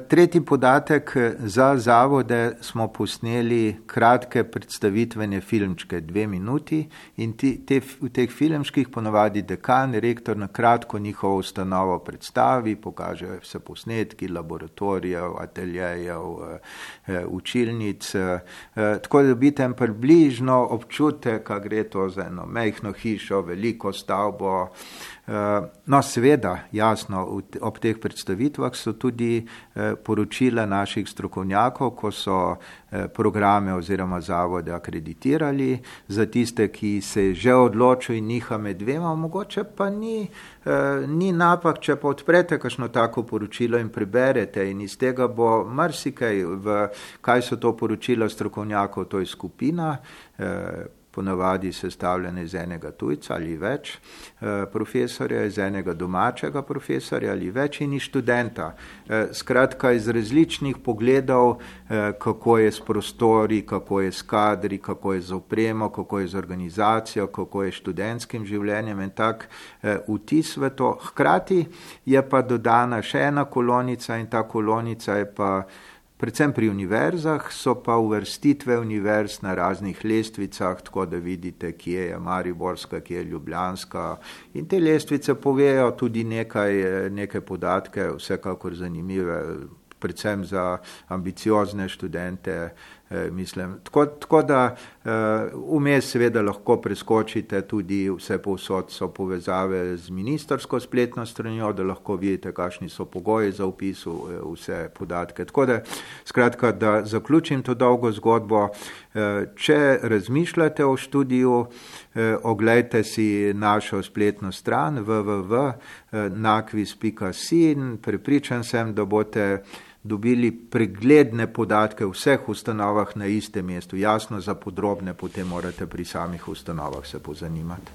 Tretji podatek, za zavode smo posneli kratke predstavitvene filmčke, dve minuti, in ti, te, v teh filmčkih ponovadi dekan, rektor na kratko njihovo ustanovo predstavi, pokaže vse posnetki laboratorijev, ateljejev, učilnic, tako da dobite en približno občutek, kako gre to za eno majhno hišo, veliko stavbo. No, seveda, jasno, ob teh predstavitvah so tudi poročila naših strokovnjakov, ko so programe oziroma zavode akreditirali. Za tiste, ki se že odločijo in niha med dvema, mogoče pa ni, ni napak, če pa odprete kakšno tako poročilo in preberete, in iz tega bo marsikaj, v kaj so to poročila strokovnjakov, to je skupina, ponavadi sestavljene iz enega tujca ali več profesorja, iz enega domačega profesorja ali več in iz študenta. Skratka, iz različnih pogledov, kako je s prostori, kako je s kadri, kako je z opremo, kako je z organizacijo, kako je s študentskim življenjem in tak vtis v to. Hkrati je pa dodana še ena kolonica in ta kolonica je pa predvsem pri univerzah, so pa uvrstitve univerz na raznih lestvicah, tako da vidite, kje je mariborska, kje je ljubljanska. In te lestvice povejo tudi nekaj, nekaj podatke, vsekakor zanimive, predvsem za ambiciozne študente, mislim. Tako, tako da vmes seveda lahko preskočite tudi vse povsod so povezave z ministrsko spletno stranjo, da lahko vidite, kakšni so pogoji za vpis vse podatke. Tako da, skratka, da zaključim to dolgo zgodbo, če razmišljate o študiju, oglejte si našo spletno stran w w w pika nakvis pika si in prepričan sem, da boste dobili pregledne podatke v vseh ustanovah na istem mestu. Jasno, za podrobne potem morate pri samih ustanovah se pozanimati.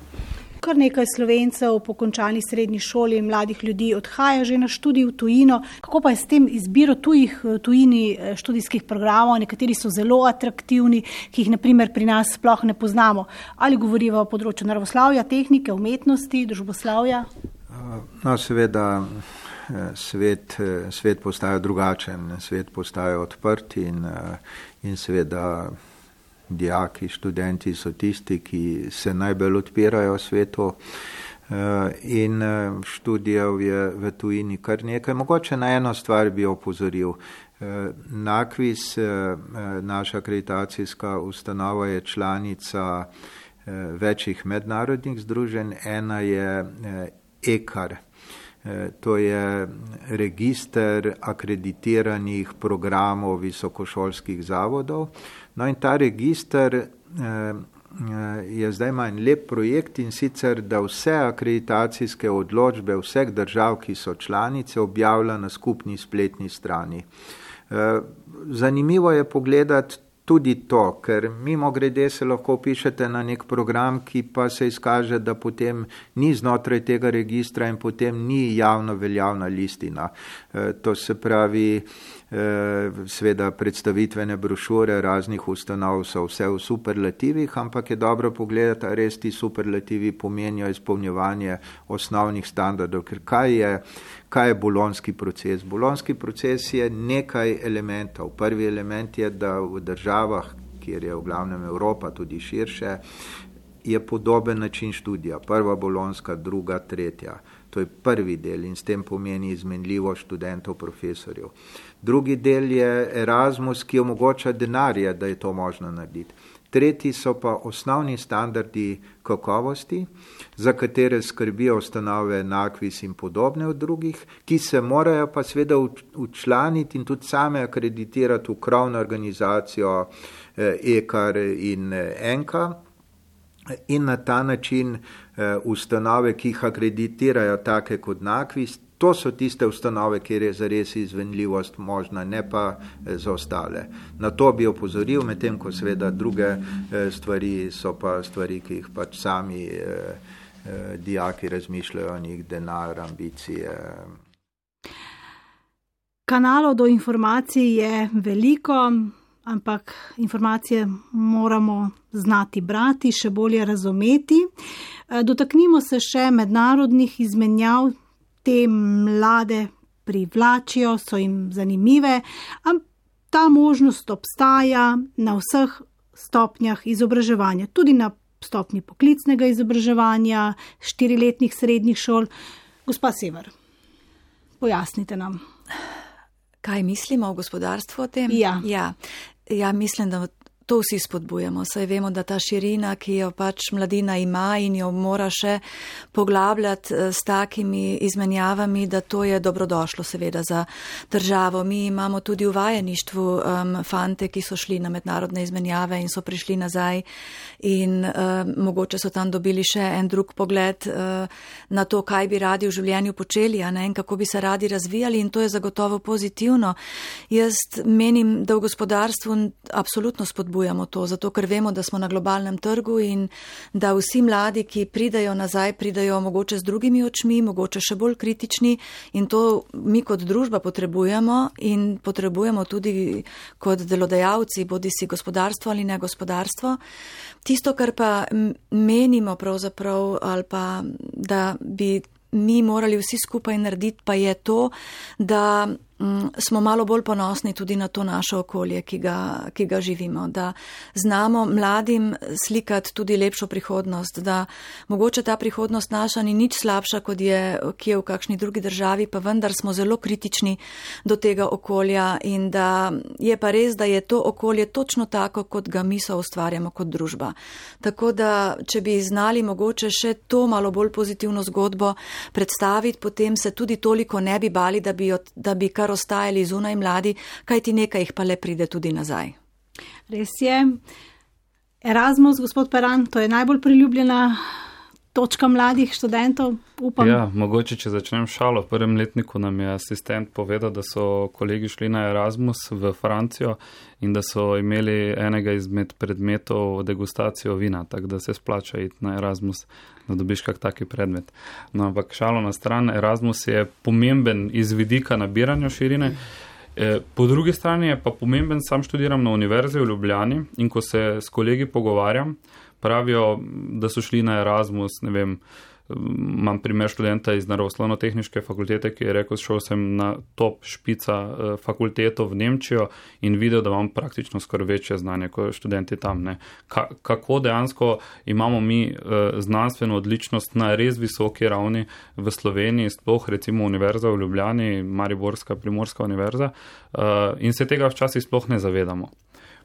Kar nekaj Slovencev po končani srednji šoli mladih ljudi odhaja že na študij v tujino. Kako pa je s tem izbiro tujih tujini študijskih programov? Nekateri so zelo atraktivni, ki jih naprimer pri nas sploh ne poznamo. Ali govoriva o področju naravoslavja, tehnike, umetnosti, družboslavja? No, seveda svet, svet postaja drugačen, svet postaja odprt in, in seveda dijaki, študenti so tisti, ki se najbolj odpirajo svetu in študijev je v tujini kar nekaj. Mogoče na eno stvar bi opozoril. Nakvis, naša akreditacijska ustanova, je članica večjih mednarodnih združenj. Ena je E C A R. To je register akreditiranih programov visokošolskih zavodov. No in ta register je zdaj ima en lep projekt, in sicer, da vse akreditacijske odločbe vseh držav, ki so članice, objavlja na skupni spletni strani. Zanimivo je pogledati tudi to, ker mimo grede se lahko pišete na nek program, ki pa se izkaže, da potem ni znotraj tega registra in potem ni javno veljavna listina. To se pravi, seveda predstavitvene brošure raznih ustanov so vse v superlativih, ampak je dobro pogledati, a res ti superlativi pomenijo izpolnjevanje osnovnih standardov, ker kaj je, kaj je bolonjski proces? Bolonjski proces je nekaj elementov. Prvi element je, da v državah, kjer je v glavnem Evropa, tudi širše, je podoben način študija, prva bolonska, druga, tretja. To je prvi del in s tem pomeni izmenljivo študentov, profesorjev. Drugi del je Erasmus, ki omogoča denarje, da je to možno narediti. Tretji so pa osnovni standardi kakovosti, za katere skrbijo ustanove NAKVIS in podobne od drugih, ki se morajo pa seveda učlaniti in tudi same akreditirati v krovno organizacijo E K A R in ENKA in na ta način ustanove, ki jih akreditirajo take kot NAKVIS, to so tiste ustanove, kjer je zares izvenljivost možna, ne pa za ostale. Na to bi opozoril, medtem ko seveda druge stvari so pa stvari, ki jih pač sami eh, eh, dijaki razmišljajo o njih, denar, ambicije. Kanalov do informacij je veliko, ampak informacije moramo znati brati, še bolje razumeti. Dotaknimo se še mednarodnih izmenjav. Te mlade privlačijo, so jim zanimive, ampak ta možnost obstaja na vseh stopnjah izobraževanja, tudi na stopnji poklicnega izobraževanja, štiriletnih srednjih šol. Gospa Sever, pojasnite nam. Kaj mislimo v gospodarstvu o tem? Ja. Ja, ja mislim, da to vsi spodbujamo. Saj vemo, da ta širina, ki jo pač mladina ima in jo mora še poglabljati s takimi izmenjavami, da to je dobrodošlo seveda za državo. Mi imamo tudi v vajeništvu um, fante, ki so šli na mednarodne izmenjave in so prišli nazaj in um, mogoče so tam dobili še en drug pogled uh, na to, kaj bi radi v življenju počeli, a ne, in kako bi se radi razvijali, in to je zagotovo pozitivno. Jaz menim, da v gospodarstvu absolutno spodbujamo to, zato ker vemo, da smo na globalnem trgu in da vsi mladi, ki pridajo nazaj, pridajo mogoče z drugimi očmi, mogoče še bolj kritični, in to mi kot družba potrebujemo in potrebujemo tudi kot delodajalci, bodi si gospodarstvo ali ne gospodarstvo. Tisto, kar pa menimo pravzaprav ali pa da bi mi morali vsi skupaj narediti, pa je to, da smo malo bolj ponosni tudi na to naše okolje, ki ga, ki ga živimo, da znamo mladim slikati tudi lepšo prihodnost, da mogoče ta prihodnost naša ni nič slabša, kot je, ki je v kakšni drugi državi, pa vendar smo zelo kritični do tega okolja in da je pa res, da je to okolje točno tako, kot ga mi so ustvarjamo kot družba. Tako da, če bi znali mogoče še to malo bolj pozitivno zgodbo predstaviti, potem se tudi toliko ne bi bali, da bi, da bi kar ostajali zunaj mladi, kajti nekaj jih pa le pride tudi nazaj. Res je. Erasmus, gospod Peran, to je najbolj priljubljena točka mladih študentov, upam. Ja, mogoče, če začnem šalo. V prvem letniku nam je asistent povedal, da so kolegi šli na Erasmus v Francijo in da so imeli enega izmed predmetov degustacijo vina, tako da se splača iti na Erasmus, da dobiš kak taki predmet. No, ampak šalo na stran, Erasmus je pomemben iz vidika nabiranja širine. Po drugi strani je pa pomemben, sam študiram na Univerzi v Ljubljani in ko se s kolegi pogovarjam, pravijo, da so šli na Erasmus, ne vem, imam primer študenta iz naravoslovno-tehniške fakultete, ki je rekel, šel sem na top špica fakulteto v Nemčijo in videl, da imam praktično skoraj večje znanje kot študenti tam. Ne. Ka- kako dejansko imamo mi znanstveno odličnost na res visoki ravni v Sloveniji, sploh recimo Univerza v Ljubljani, Mariborska, Primorska univerza, in se tega včasih sploh ne zavedamo.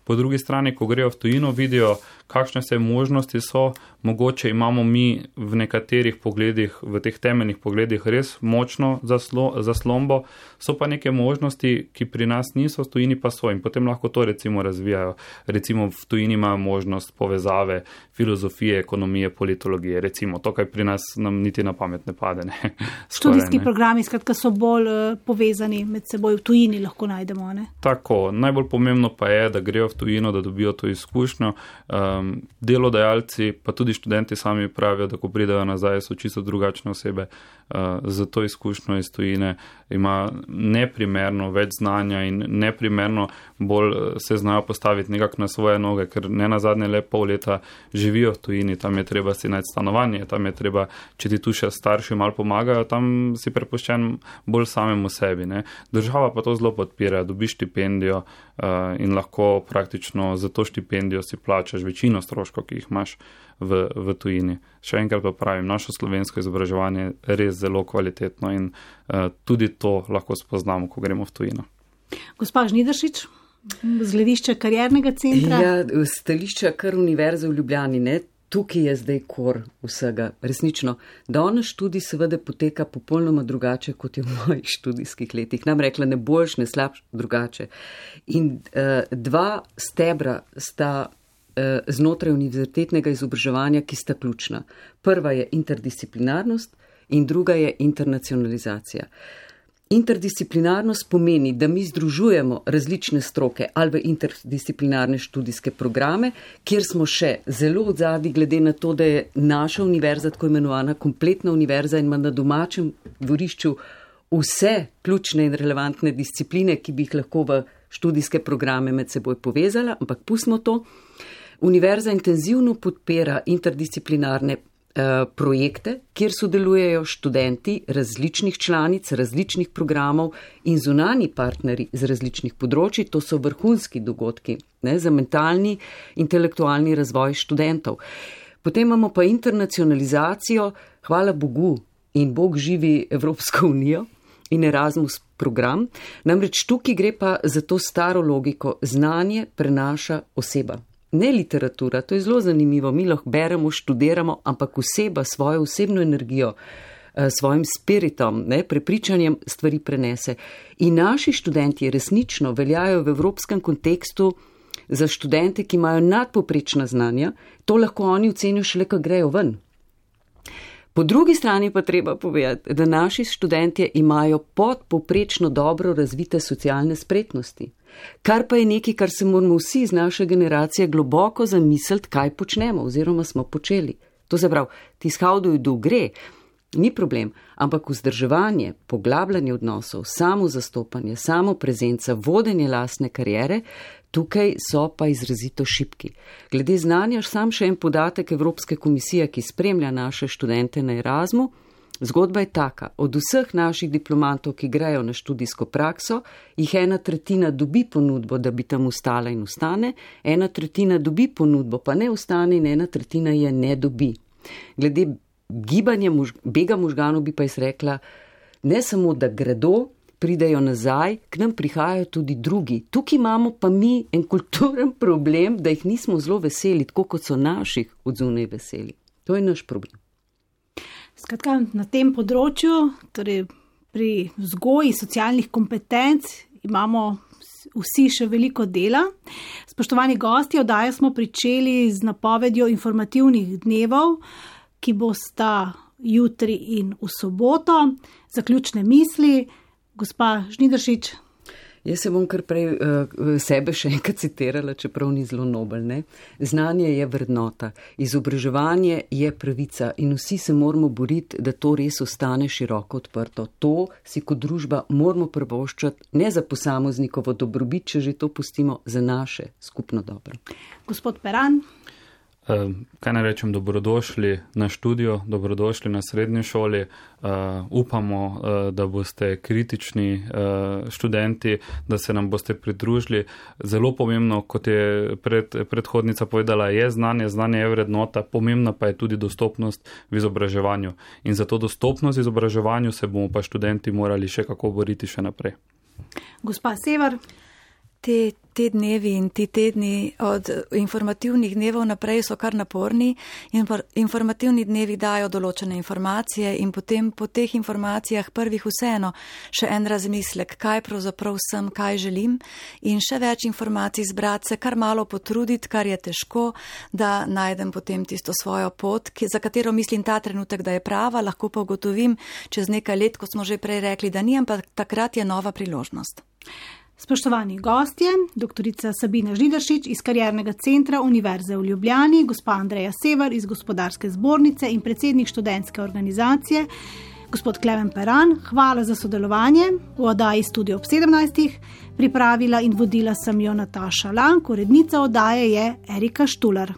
Po drugi strani, ko grejo v tujino, vidijo, kakšne se možnosti so, mogoče imamo mi v nekaterih pogledih, v teh temeljnih pogledih res močno zaslo, zaslombo, so pa neke možnosti, ki pri nas niso, v tujini pa so in potem lahko to recimo razvijajo. Recimo v tujini imajo možnost povezave filozofije, ekonomije, politologije, recimo to, kaj pri nas nam niti na pamet ne pade. Ne? Študijski programi, skratka, so bolj uh, povezani med seboj, v tujini lahko najdemo, ne? Tako, najbolj pomembno pa je, da grejo v tujino, da dobijo to izkušnjo. Um, delodajalci, pa tudi študenti sami pravijo, da ko pridejo nazaj, so čisto drugačne osebe. Uh, za to izkušnjo iz tujine ima neprimerno več znanja in neprimerno bolj se znajo postaviti nekako na svoje noge, ker ne nazadnje le pol leta živijo v tujini, tam je treba si najti stanovanje, tam je treba, če ti tu še starši malo pomagajo, tam si prepuščen bolj samemu sebi. Ne. Država pa to zelo podpira, dobiš štipendijo uh, in lahko praktično praktično za to štipendijo si plačaš večino stroškov, ki jih imaš v, v tujini. Še enkrat pa pravim, naše slovensko izobraževanje je res zelo kvalitetno in uh, tudi to lahko spoznamo, ko gremo v tujino. Gospa Žnidaršič, z gledišča kariernega centra. Ja, stališča kar Univerze v Ljubljani, ne? Tukaj je zdaj kor vsega. Resnično, danes študij seveda poteka popolnoma drugače, kot je v mojih študijskih letih. Nam rekla ne boljš, ne slabš, drugače. In uh, dva stebra sta uh, znotraj univerzitetnega izobraževanja, ki sta ključna. Prva je interdisciplinarnost in druga je internacionalizacija. Interdisciplinarnost pomeni, da mi združujemo različne stroke ali v interdisciplinarne študijske programe, kjer smo še zelo odzadi glede na to, da je naša univerza tako imenovana kompletna univerza in ima na domačem dvorišču vse ključne in relevantne discipline, ki bi jih lahko v študijske programe med seboj povezala, ampak pustimo to. Univerza intenzivno podpira interdisciplinarne projekte, kjer sodelujejo študenti različnih članic, različnih programov in zunani partnerji z različnih področji. To so vrhunski dogodki, ne, za mentalni, intelektualni razvoj študentov. Potem imamo pa internacionalizacijo, hvala Bogu in Bog živi Evropsko unijo in Erasmus program. Namreč tukaj gre pa za to staro logiko, znanje prenaša oseba. Ne literatura, to je zelo zanimivo, mi lahko beremo, študiramo, ampak oseba svojo osebno energijo, svojim spiritom, ne, prepričanjem stvari prenese. In naši študenti resnično veljajo v evropskem kontekstu za študente, ki imajo nadpoprečna znanja, to lahko oni ocenijo šele, ko grejo ven. Po drugi strani pa treba povedati, da naši študentje imajo podpoprečno dobro razvite socialne spretnosti. Kar pa je nekaj, kar se moramo vsi iz naše generacije globoko zamisliti, kaj počnemo oziroma smo počeli. To se pravi, tiskavduj do gre, ni problem, ampak vzdrževanje, poglabljanje odnosov, samo zastopanje, samo prezenca, vodenje lastne kariere, tukaj so pa izrazito šibki. Glede znanja, sam še en podatek Evropske komisije, ki spremlja naše študente na Erasmu. Zgodba je taka, od vseh naših diplomantov, ki grejo na študijsko prakso, jih ena tretjina dobi ponudbo, da bi tam ostala in ostane, ena tretjina dobi ponudbo, pa ne ostane in ena tretjina je ne dobi. Glede gibanja, mož, bega možganov bi pa jaz rekla, ne samo, da gredo, pridejo nazaj, k nam prihajajo tudi drugi. Tukaj imamo pa mi en kulturen problem, da jih nismo zelo veseli, tako kot so naših odzunaj veseli. To je naš problem. Skratka, na tem področju, torej pri vzgoji socialnih kompetenc, imamo vsi še veliko dela. Spoštovani gosti, oddajo smo pričeli z napovedjo informativnih dnevov, ki bosta jutri in v soboto. Zaključne misli, gospa Žnidaršič. Jaz se bom kar prej uh, sebe še enkrat citirala, čeprav ni zelo nobel, ne? Znanje je vrednota, izobraževanje je pravica in vsi se moramo boriti, da to res ostane široko odprto. To si kot družba moramo privoščiti, ne za posameznikovo dobrobit, če že to pustimo, za naše skupno dobro. Gospod Peran. Uh, kaj naj rečem, dobrodošli na študijo, dobrodošli na srednji šoli. Uh, upamo, uh, da boste kritični uh, študenti, da se nam boste pridružili. Zelo pomembno, kot je pred, predhodnica povedala, je znanje, znanje je vrednota, pomembna pa je tudi dostopnost v izobraževanju. In za to dostopnost v izobraževanju se bomo pa študenti morali še kako boriti še naprej. Gospa Sever. Te, te dnevi in ti tedni od informativnih dnevov naprej so kar naporni. Infor, informativni dnevi dajo določene informacije in potem po teh informacijah prvih vseeno še en razmislek, kaj pravzaprav sem, kaj želim in še več informacij zbrati, se kar malo potruditi, kar je težko, da najdem potem tisto svojo pot, ki, za katero mislim ta trenutek, da je prava, lahko pa ugotovim čez nekaj let, ko smo že prej rekli, da ni, ampak takrat je nova priložnost. Spoštovani gostje, doktorica Sabina Žnidaršič iz Kariernega centra Univerze v Ljubljani, gospa Andreja Sever iz Gospodarske zbornice in predsednik študentske organizacije, gospod Klemen Peran, hvala za sodelovanje v oddaji Studio ob sedemnajstih. Pripravila in vodila sem jo Nataša Lank, urednica oddaje je Erika Štular.